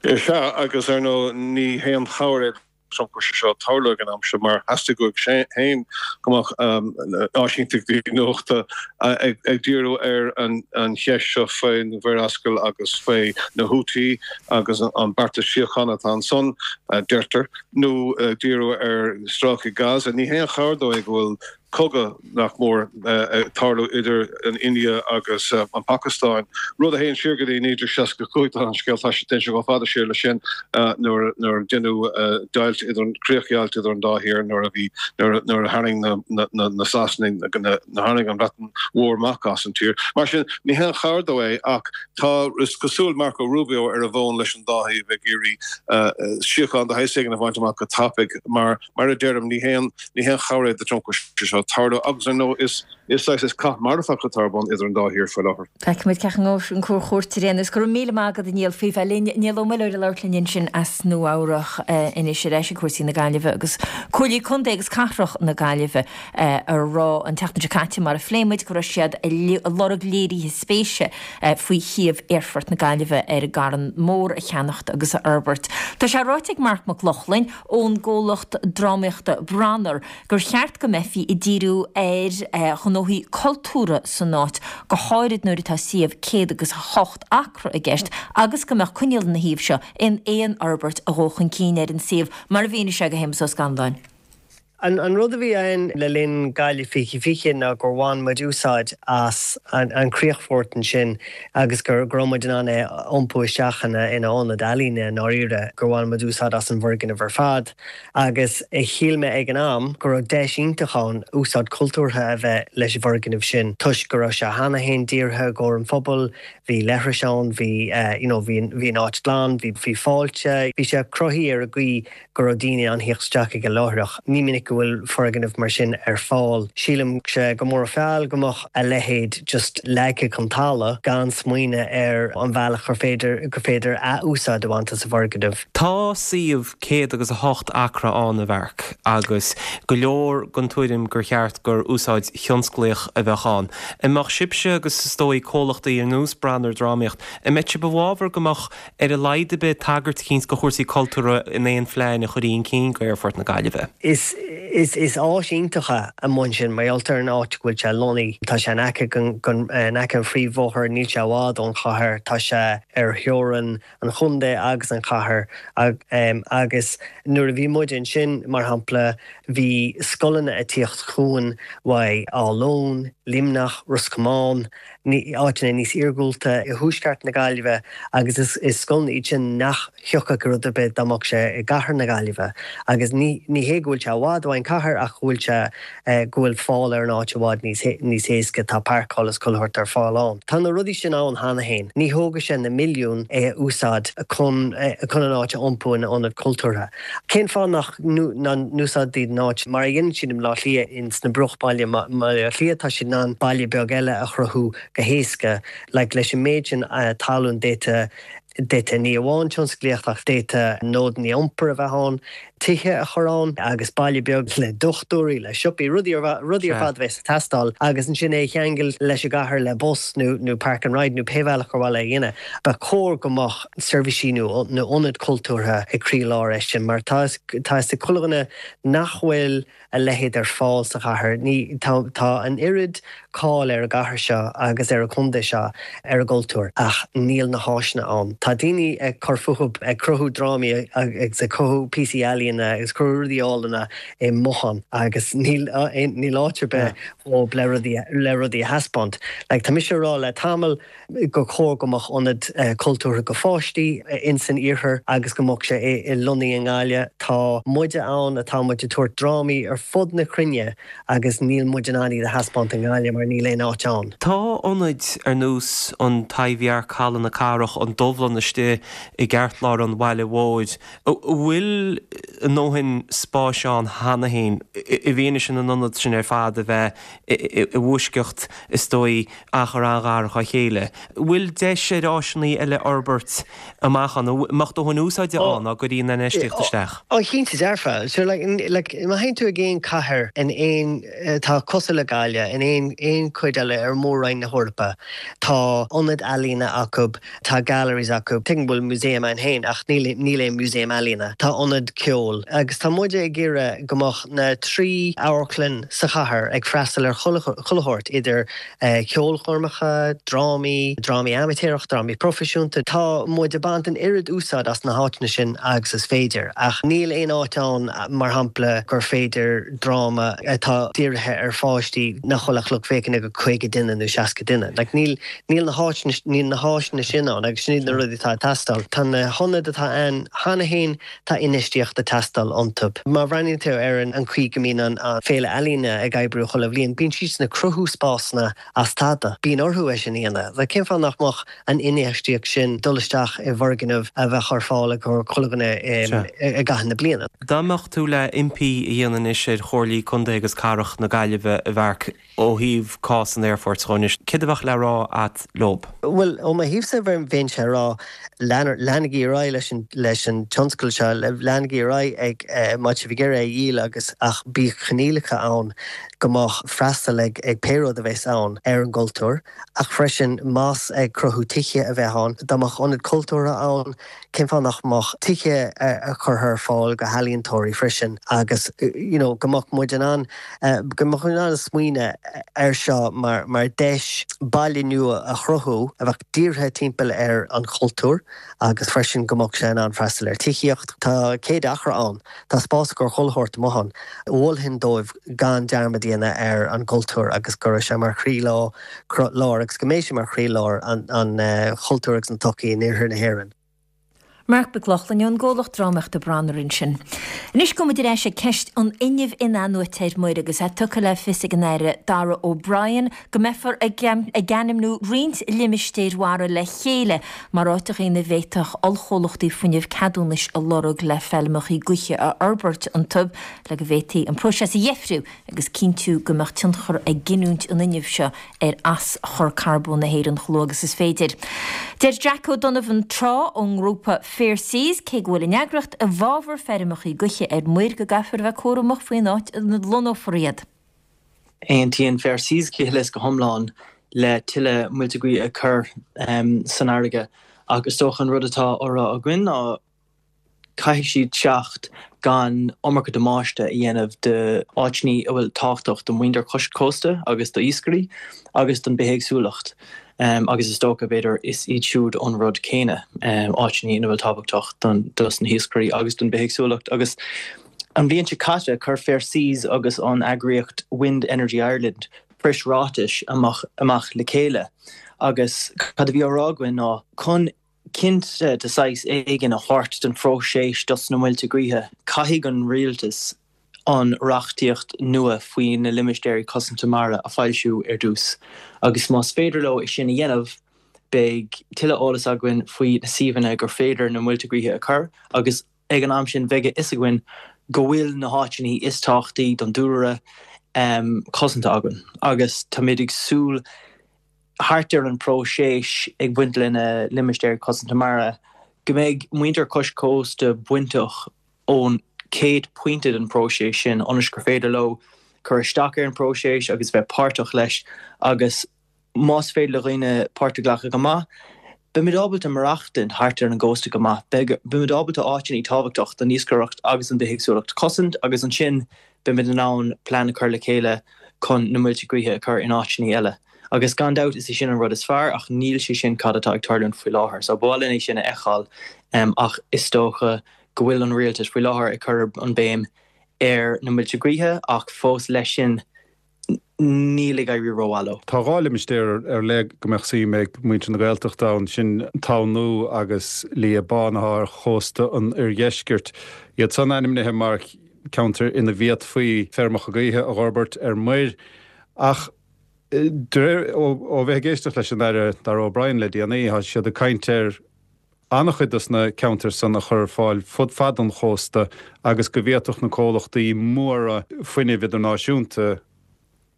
Sea, agus ar ndóigh ní haon chabhair é Trump go bhfuil sé seo ag tarlú ag an am seo mar theastaigh uaidh féin go mbeadh áisínteachtaí nuachta ag díriú ar an cheist seo faoin Mhuir Ascail agus faoi na Houthi agus an beartas síochána atá ansan, deirtear, nó ag díriú ar stráice Gaza. Ní haon chabhair dó é go bhfuil cogadh nach mór ag tarlú idir an India agus an Phacastáin, rud a théann siar go dtí naoi déag seasca a cúig, tá an scéal, tá sé, téann sé chomh fada siar leis sin nuair nuair a deineadh deighilt idir an críochdheighilt idir an dá thír nuair a bhí nuair nuair a tharraing na na na Sasanaigh na tharraing an Bhreatain Mhór amach as an tír. Mar sin ní haon chabhair dó é ach tá is cosúil Marco Rubio ar an bhfón leis an dá thaobh ag iarraidh síocháin de shaghas éigin a bhaint amach go tapaidh mar Mar a deirim, ní haon ní haon chabhair é do Trump go bhfuil sé seo ag tarlú agus ar ndóigh is is saghas is cath marfach atá ar bun idir an dá thír faoi láthair. Feicfimid cén chaoi a ngabhfaidh an chúirt ar aon nós. Go raibh míle maith agat a Niall faoi bheith linn. Niall Ó Muilleoir ag labhairt linn ansin as Nua Eabhrach anois ar ais ag cúrsaí na Gaillimhe agus Comhairlí Contae agus Cathrach na Gaillimhe a rá an tseachtain seo caite mar a phléigh muid go raibh siad ag lorg léirithe spéise faoi shuíomh Aerfort na Gaillimhe ar an gCarn Mór a cheannacht agus a fhorbairt. Tá sé ráite ag Marc Mac Lochlainn ón gcomhlacht drámaíochta Branar gur cheart go mbeifí ag díriú ar ghnóthaí cultúrtha san áit, go háirid nuair atá suíomh céad agus a hocht acra i gceist agus go mbeadh coinníoll ina thaobh seo in aon fhorbairt a ghabhfadh chun cinn ar an suíomh, mar a mhínigh sé do Shéamus Ó Scanláin. An an rud a bhí ann le linn Gaillimh fiche fiche ná gur bhain muid úsáid as an an críochfort ansin agus gur go raibh muid in ann é a iompú isteach ina ina ionad ealaíne i ndáiríre, gur bhain muid úsáid as an bhfoirgneamh ar fad. Agus shíl mé ag an am go raibh deis iontach ann úsáid cultúrtha a bheith leis an bhfoirgneamh sin toisc go raibh sé cheana féin dírithe i gcomhair an phobail, bhí leithris ann, bhí you know bhí bhí an áit glan, bhí bhí fáilte, bhí sé cruthaithe ar an gcaoi go raibh daoine in ann theacht isteach aige láithreach. Ní minic go bhfuil foirgneamh mar sin ar fáil. Sílimse gur mór an feall go mbeadh a leithéid just leagtha chun talamh gan smaoineamh ar an bhealach gur féidir gur féidir ath-úsáid a bhaint as an bhfoirgneamh. Tá suíomh céad agus a hocht acra ann, a Mharc, agus go leor den tuairim gur cheart gur úsáid thionsclaíoch a bheadh ann. An mbeadh sibhse agus is dóigh comhlachtaí ar nós Branar Drámaíocht, an mbeadh sibh i bhfabhar go mbeadh ar a laghad ar bith tagairt eicínt do chúrsaí cultúrtha in aon phlean a chuirfí chun cinn go Aerfort na Gaillimhe? Is is is áis iontach é amuigh ansin mar gheall ar an áit go bhfuil sé lonnaithe. Tá sé in aice den in aice an phríomhbhóthair, níl sé i bhfad ón chathair, tá sé ar theorainn an chontae agus an chathair agus nuair a bhí muid ansin, mar shampla, bhí scoileanna ag tíocht chugainn uaidh Áth Luain, Luimneach, Ros Comáin, áiteanna níos iargúlta i thuaisceart na Gaillimhe agus is is scoileanna iad sin nach thiocfadh ar rud ar bith dá mbeadh sé i gcathair na Gaillimhe agus ní ní hé go bhfuil sé i bhfad uaidh an cathair ach go bhfuil sé go bhfuil fáil ar an áit i bhfad níos níos éasca, tá páirceáil is chuile shórt ar fáil ann. Tá na rudaí sin ann cheana féin. Ní thógfaidh sé na milliúin é a úsáid chun chun an áit a iompú ina ionad cultúrtha. Cén fáth nach n-úsáidfí an áit mar a dhéanann siad i mBaile Átha Cliath ins na bruachbhaile mBaile Átha Cliath tá siad in ann baile beag eile a chruthú go héasca like leis an méid sin talún d'fhéadfadh d'fhéadfadh ní amháin tionsclaíocht ach d'fhéadfadh nódanna iompair a bheith ann, tithe a chur ann agus baile beag le dochtúirí, le siopaí, rudaí rudaí ar fad a bheas ag teastáil agus ansin é a cheangal leis an gcathair le bus nó nó park and ride nó pé bhealach ar mhaith le a dhéanamh. Ba chóir go mbeadh seirbhísí nó nó ionad cultúrtha ag croílár é sin mar tá tá fhios ag chuile dhuine nach bhfuil a leithéid ar fáil sa chathair. Ní, tá, tá an oiread cáil ar an gcathair seo agus ar an chontae seo ar a gcultúr ach níl na háiseanna ann. Tá daoine ag cur fúthu, ag cruthú drámaí agus ag cruthú píosaí ealaíona agus cruthú rudaí álainne i mbotháin agus níl, níl áit ar bith dhóibh le rudaí, le rudaí a thaispeáint. Like, tá mise ag rá le tamall gur chóir go mbeadh ionad cultúrtha go pháistí ins an iarthar agus go mbeadh sé i lonnaithe i nGaillimh. Tá muide ann atá muid ag tabhairt drámaí ar fud na cruinne agus níl muid in ann iad a thaispeáint i nGaillimh mar níl aon áit ann. Tá ionaid ar nós an Taibhdhearc, Halla na Cathrach, an Dubhlann istigh i gceartlár an bhaile mhóir. An bhfuil a ndóthain spáis ann cheana féin i bhfianaise na n-ionad sin ar fad a bheith i bhfoisceacht, is dóigh, achar an-ghar dá chéile? An bhfuil deis ar áiseanna eile fhorbairt amach ann? An mbeadh dóthain úsáide ann dá gcuirfí an infheistíocht isteach? Ó, cinnte dearfa. So like, like, má théann tú ag aon cathair in aon, atá cosúil le Gaillimh, in aon, aon chuid eile ar Mhór-Roinn na hEorpa, tá ionad ealaíne acu, tá galleries acu, tuigim go bhfuil músaem ann féin ach níl, níl aon músaem ealaíne. Tá ionad ceoil. Agus tá muide ag iarraidh go mbeadh na trí amharclann sa chathair ag freastal ar chuile, chuile shórt, idir ceolchoirmeacha, drámaí, drámaí amaitéarach, drámaí proifisiúnta. Tá muid ag baint an oiread úsáid as na háiteanna sin agus is féidir, ach níl aon áit ann, mar shampla, gur féidir dráma atá dírithe ar pháistí nach bhfuil ach lucht féachana go caoga duine nó seasca duine. Like, níl, níl na háiteanna, níl na háiseanna sin ann agus sin iad na rudaí atá ag teastáil. Tá na hionaid atá ann cheana féin, tá infheistíocht ag teastáil iontu. Má bhreathnaíonn tú ar an chaoi go mbíonn an Féile Ealaíne ag oibriú chuile bhliain, bíonn siadsan ag cruthú spásanna as tada. Bíonn orthu é sin a dhéanamh. Like, cén fáth nach mbeadh an infheistíocht sin dul isteach i bhfoirgneamh a bheadh ar fáil i gcomhair chuile dhuine i gcaitheamh na bliana? Dá mbeadh tú le impí a dhéanamh anois ar Chomhairlí Contae agus Cathrach na Gaillimhe, a Mharc, ó thaobh cás an aerfoirt dhó anois, céard a bheadh le rá a't leob? Bhuel, ó mo thaobhsa, bheinnse ag rá, leanaigí ar aghaidh leis an, leis an tionscal seo, leanaigí ar aghaidh ag, má tá sibh ag iarraidh é a dhíol agus, ach bíodh coinníollacha ann go mbeadh freastal ag ag pé rud a bheas ann ar an gcultúr, ach freisin más ag cruthú tithe a bheith ann, dá mbeadh ionad cultúrtha ann, cén fáth nach mbeadh tithe a curtha ar fáil go healaíontóirí freisin agus you know go mbeadh muid in ann go mbeadh muid in ann smaoineamh air seo mar mar deis baile nua a chruthú a bheadh dírithe timpeall ar an chultúr agus freisin go mbeadh sé in ann freastal ar tithíocht. Tá céad acra ann, tá spás i gcomhair chuile shórt amuigh ann. Mholfainn dóibh gan dearmad a dhéanamh ar an gcultúr agus go raibh sé mar chroílár agus go mbeidh sé mar chroílár an chultúir agus na tsochaí in iarthar na hÉireann. Marc Mac Lochlainn ón gcomhlacht drámaíochta Branar ansin. Anois gabhfaidh muid ar ais ag ceist an fhuinnimh in-athnuaite ar muir agus é tugtha le fios ag an Aire Darragh O'Brien go mbeifear ag ag ainmniú roinnt limistéir mhara le chéile mar áiteacha ina bhféadfadh ollchomhlachtaí fuinnimh ceadúnais a lorg le feilmeacha gaoithe a fhorbairt iontu le go bhféadfaí an próiseas a dheifriú agus cinntiú go mbeadh tionchar ag giniúint an fhuinnimh seo ar aschur carbóin na hÉireann chomh luath agus is féidir. Deir Jack O'Donovan Tráth ón ngrúpa Fair Seas, cé go bhfuil an eagraíocht i bhfabhar feirmeacha gaoithe ar muir, go gcaithfear a bheith cúramach faoin áit ina lonnófar iad. Aontaíonn Fair Seas go huile is go hiomlán le tuilleadh muilte gaoithe a chur san fharraige ach is dócha an rud atá á rá againn ná caithfidh siad teacht gan iomarca damáiste a dhéanamh d'áiteanna a bhfuil tábhachtach do mhuintir cois cósta agus do iascairí agus don bithéagsúlacht agus is dócha, b'fhéidir, is iad siúd an rud céanna, áiteanna ina bhfuil tábhachtach dos na hiascairí agus don bithéagsúlacht. Agus an bhliain seo caite, chuir Fair Seas agus an eagraíocht Wind Energy Ireland preasráiteas amach le chéile agus cad a bhí á rá againn ná chun cinnte de saghas éigin a thabhairt don phróiseas dos na muilte gaoithe, caithfidh an rialtas an reachtaíocht nua faoi na limistéirí cosanta mara a foilsiú ar dtús agus más féidir leo é sin a dhéanamh, beidh tuilleadh eolas againn faoi na suíomhanna gur féidir na muilte gaoithe a chur agus ag an am sin beidh a fhios againn go bhfuil na háiteanna is tábhachtaí don dúlra cosanta againn agus táimid ag súil thart ar an bpróiseas ag baint le na limistéir cosanta mara, go mbeidh muintir cois cósta bainteach ón chéad pointe den phróiseas sin ionas gur féidir leo cur isteach ar an bpróiseas agus bheith páirteach leis agus más féidir le dhaoine páirt a ghlacadh go maith, beimid ábalta maireachtaint thart ar an gcósta go maith, beimid ábalta áiteanna tábhachtach don iascaireacht agus don bithéagsúlacht a chosaint agus ansin beimid in ann plean a chur le chéile chun na muilte gaoithe a chur in áiteanna eile. Agus gan dabht is é sin an rud is fearr ach níl sé sin cad atá ag tarlúint faoi láthair. So ba mhaith linn é sin a fheiceáil ach is dócha go bhfuil an rialtas faoi láthair ag cur an béim ar na muilte gaoithe ach fós leis sin níl ag éirí rómhaith leo. Tá dhá limistéar ar leith go mbeadh suim ag muintir na Gaeltachta ann, sin Tamhan Nua agus Liath Bán atá ar chósta an oirdheiscirt. Iad san ainmnithe mar cheantair ina bhféadfaí feirmeacha gaoithe a dh'fhorbairt ar muir ach de réir, ó bheith ag éisteacht leis an Aire Darragh O'Brien le déanaí, tá siad ag caint ar an-chuid dos na ceantair san a chur ar fáil fud fad an chósta agus go bhféadfadh na comhlachtaí móra fuinnimh idirnáisiúnta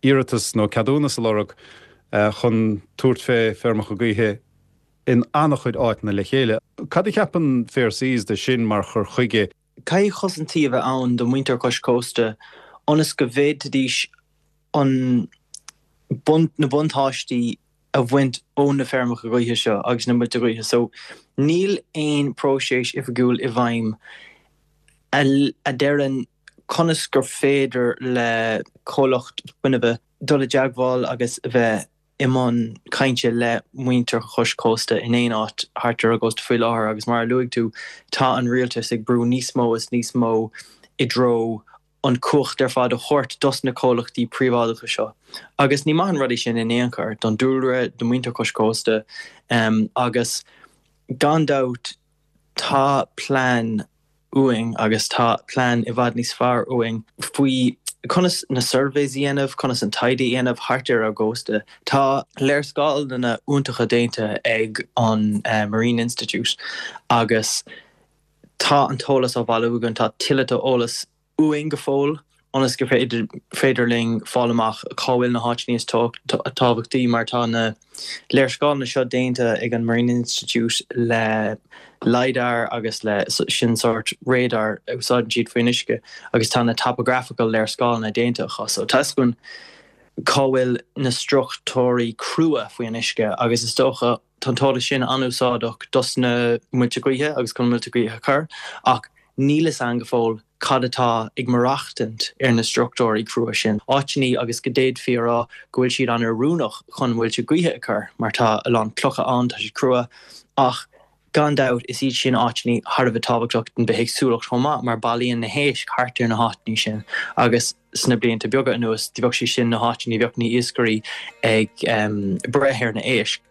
iarratas nó ceadúnas a lorg chun tabhairt fé feirmeacha gaoithe in an-chuid áiteanna le chéile. Cad a cheapann Fair Seas de sin mar chur chuige? Caithfidh cosaintí a bheith ann do mhuintir cois cósta ionas go bhféadfaidís an na buntáistí a bhaint ó na feirmeacha gaoithe seo agus na muilte gaoithe. So níl aon próiseas oifigiúil i bhfeidhm a deireann conas gur féidir le comhlacht fuinnimh dul i dteagmháil agus a bheith i mbun cainte le muintir chois cósta in aon áit thart ar an gcósta faoi láthair agus mar a luaigh tú tá an rialtas ag brú níos mó is níos mó i dtreo an cumhacht ar fad a thabhairt dos na comhlachtaí príobháideacha seo agus ní maith an rud é sin in aon chor don dúlra, do mhuintir cois cósta agus gan dabht tá plean uainn agus tá plean i bhfad níos fearr uainn faoi conas na surveys a dhéanamh, conas an taighde a dhéanamh thart ar ár gcósta. Tá léarscáileanna iontacha déanta ag an Marine Institute agus tá an t-eolas á bhailiú againn, tá tuilleadh d'eolas uainn go fóill ionas gur féidir féidir linn fáil amach cá bhfuil na háiteanna is tábhachtaí mar tá na léarscáileanna seo déanta ag an Marine Institute le LiDAR agus le sin sórt radar a úsáideann siad faoin uisce agus tá na topographical léarscáileanna déanta acu so tá a fhios againn cá bhfuil na struchtúirí crua faoin uisce agus is dócha tá an t-eolas sin an-úsáideach dos na muilte gaoithe agus chun muilte gaoithe a chur ach níl a fhios againn go fóill cad atá ag maireachtaint ar na struchtúirí crua sin. Áiteanna agus go d'fhéadfaí a rá go bhfuil siad an-oiriúnach chun muilte gaoithe a chur mar tá a lán clocha ann, tá siad crua ach gan dabht is iad sin áiteanna thar a bheith tábhachtach don bithéagsúlacht chomh maith mar bailíonn na héisc thart ar na háiteanna sin agus sna blianta beaga anuas bheadh sé sin na háiteanna bheadh na hiascairí ag breith ar na héisc.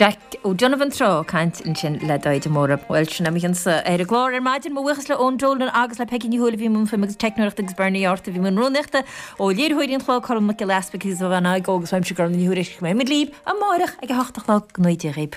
Jack O'Donovan Tráth caint ansin le Daid Móra. Bhuel sin é mo chionsa ar an gclár ar maidin mo bhuíochas le Eoin Dolan agus le Peggy Ní Thuathail a bhí i mbun fuaime agus teicneoireachta agus Bernie Arthur a bhí i mbun rúnaíochta ó léiritheoirí an chláir Colm Mac Giolla Easpaig agus ó Bhean Agó agus uaimse Gormfhlaith Ní Thuairisg go mbeidh muid libh amárach ag a hocht a chlog go mbeidh Dia dhaoibh.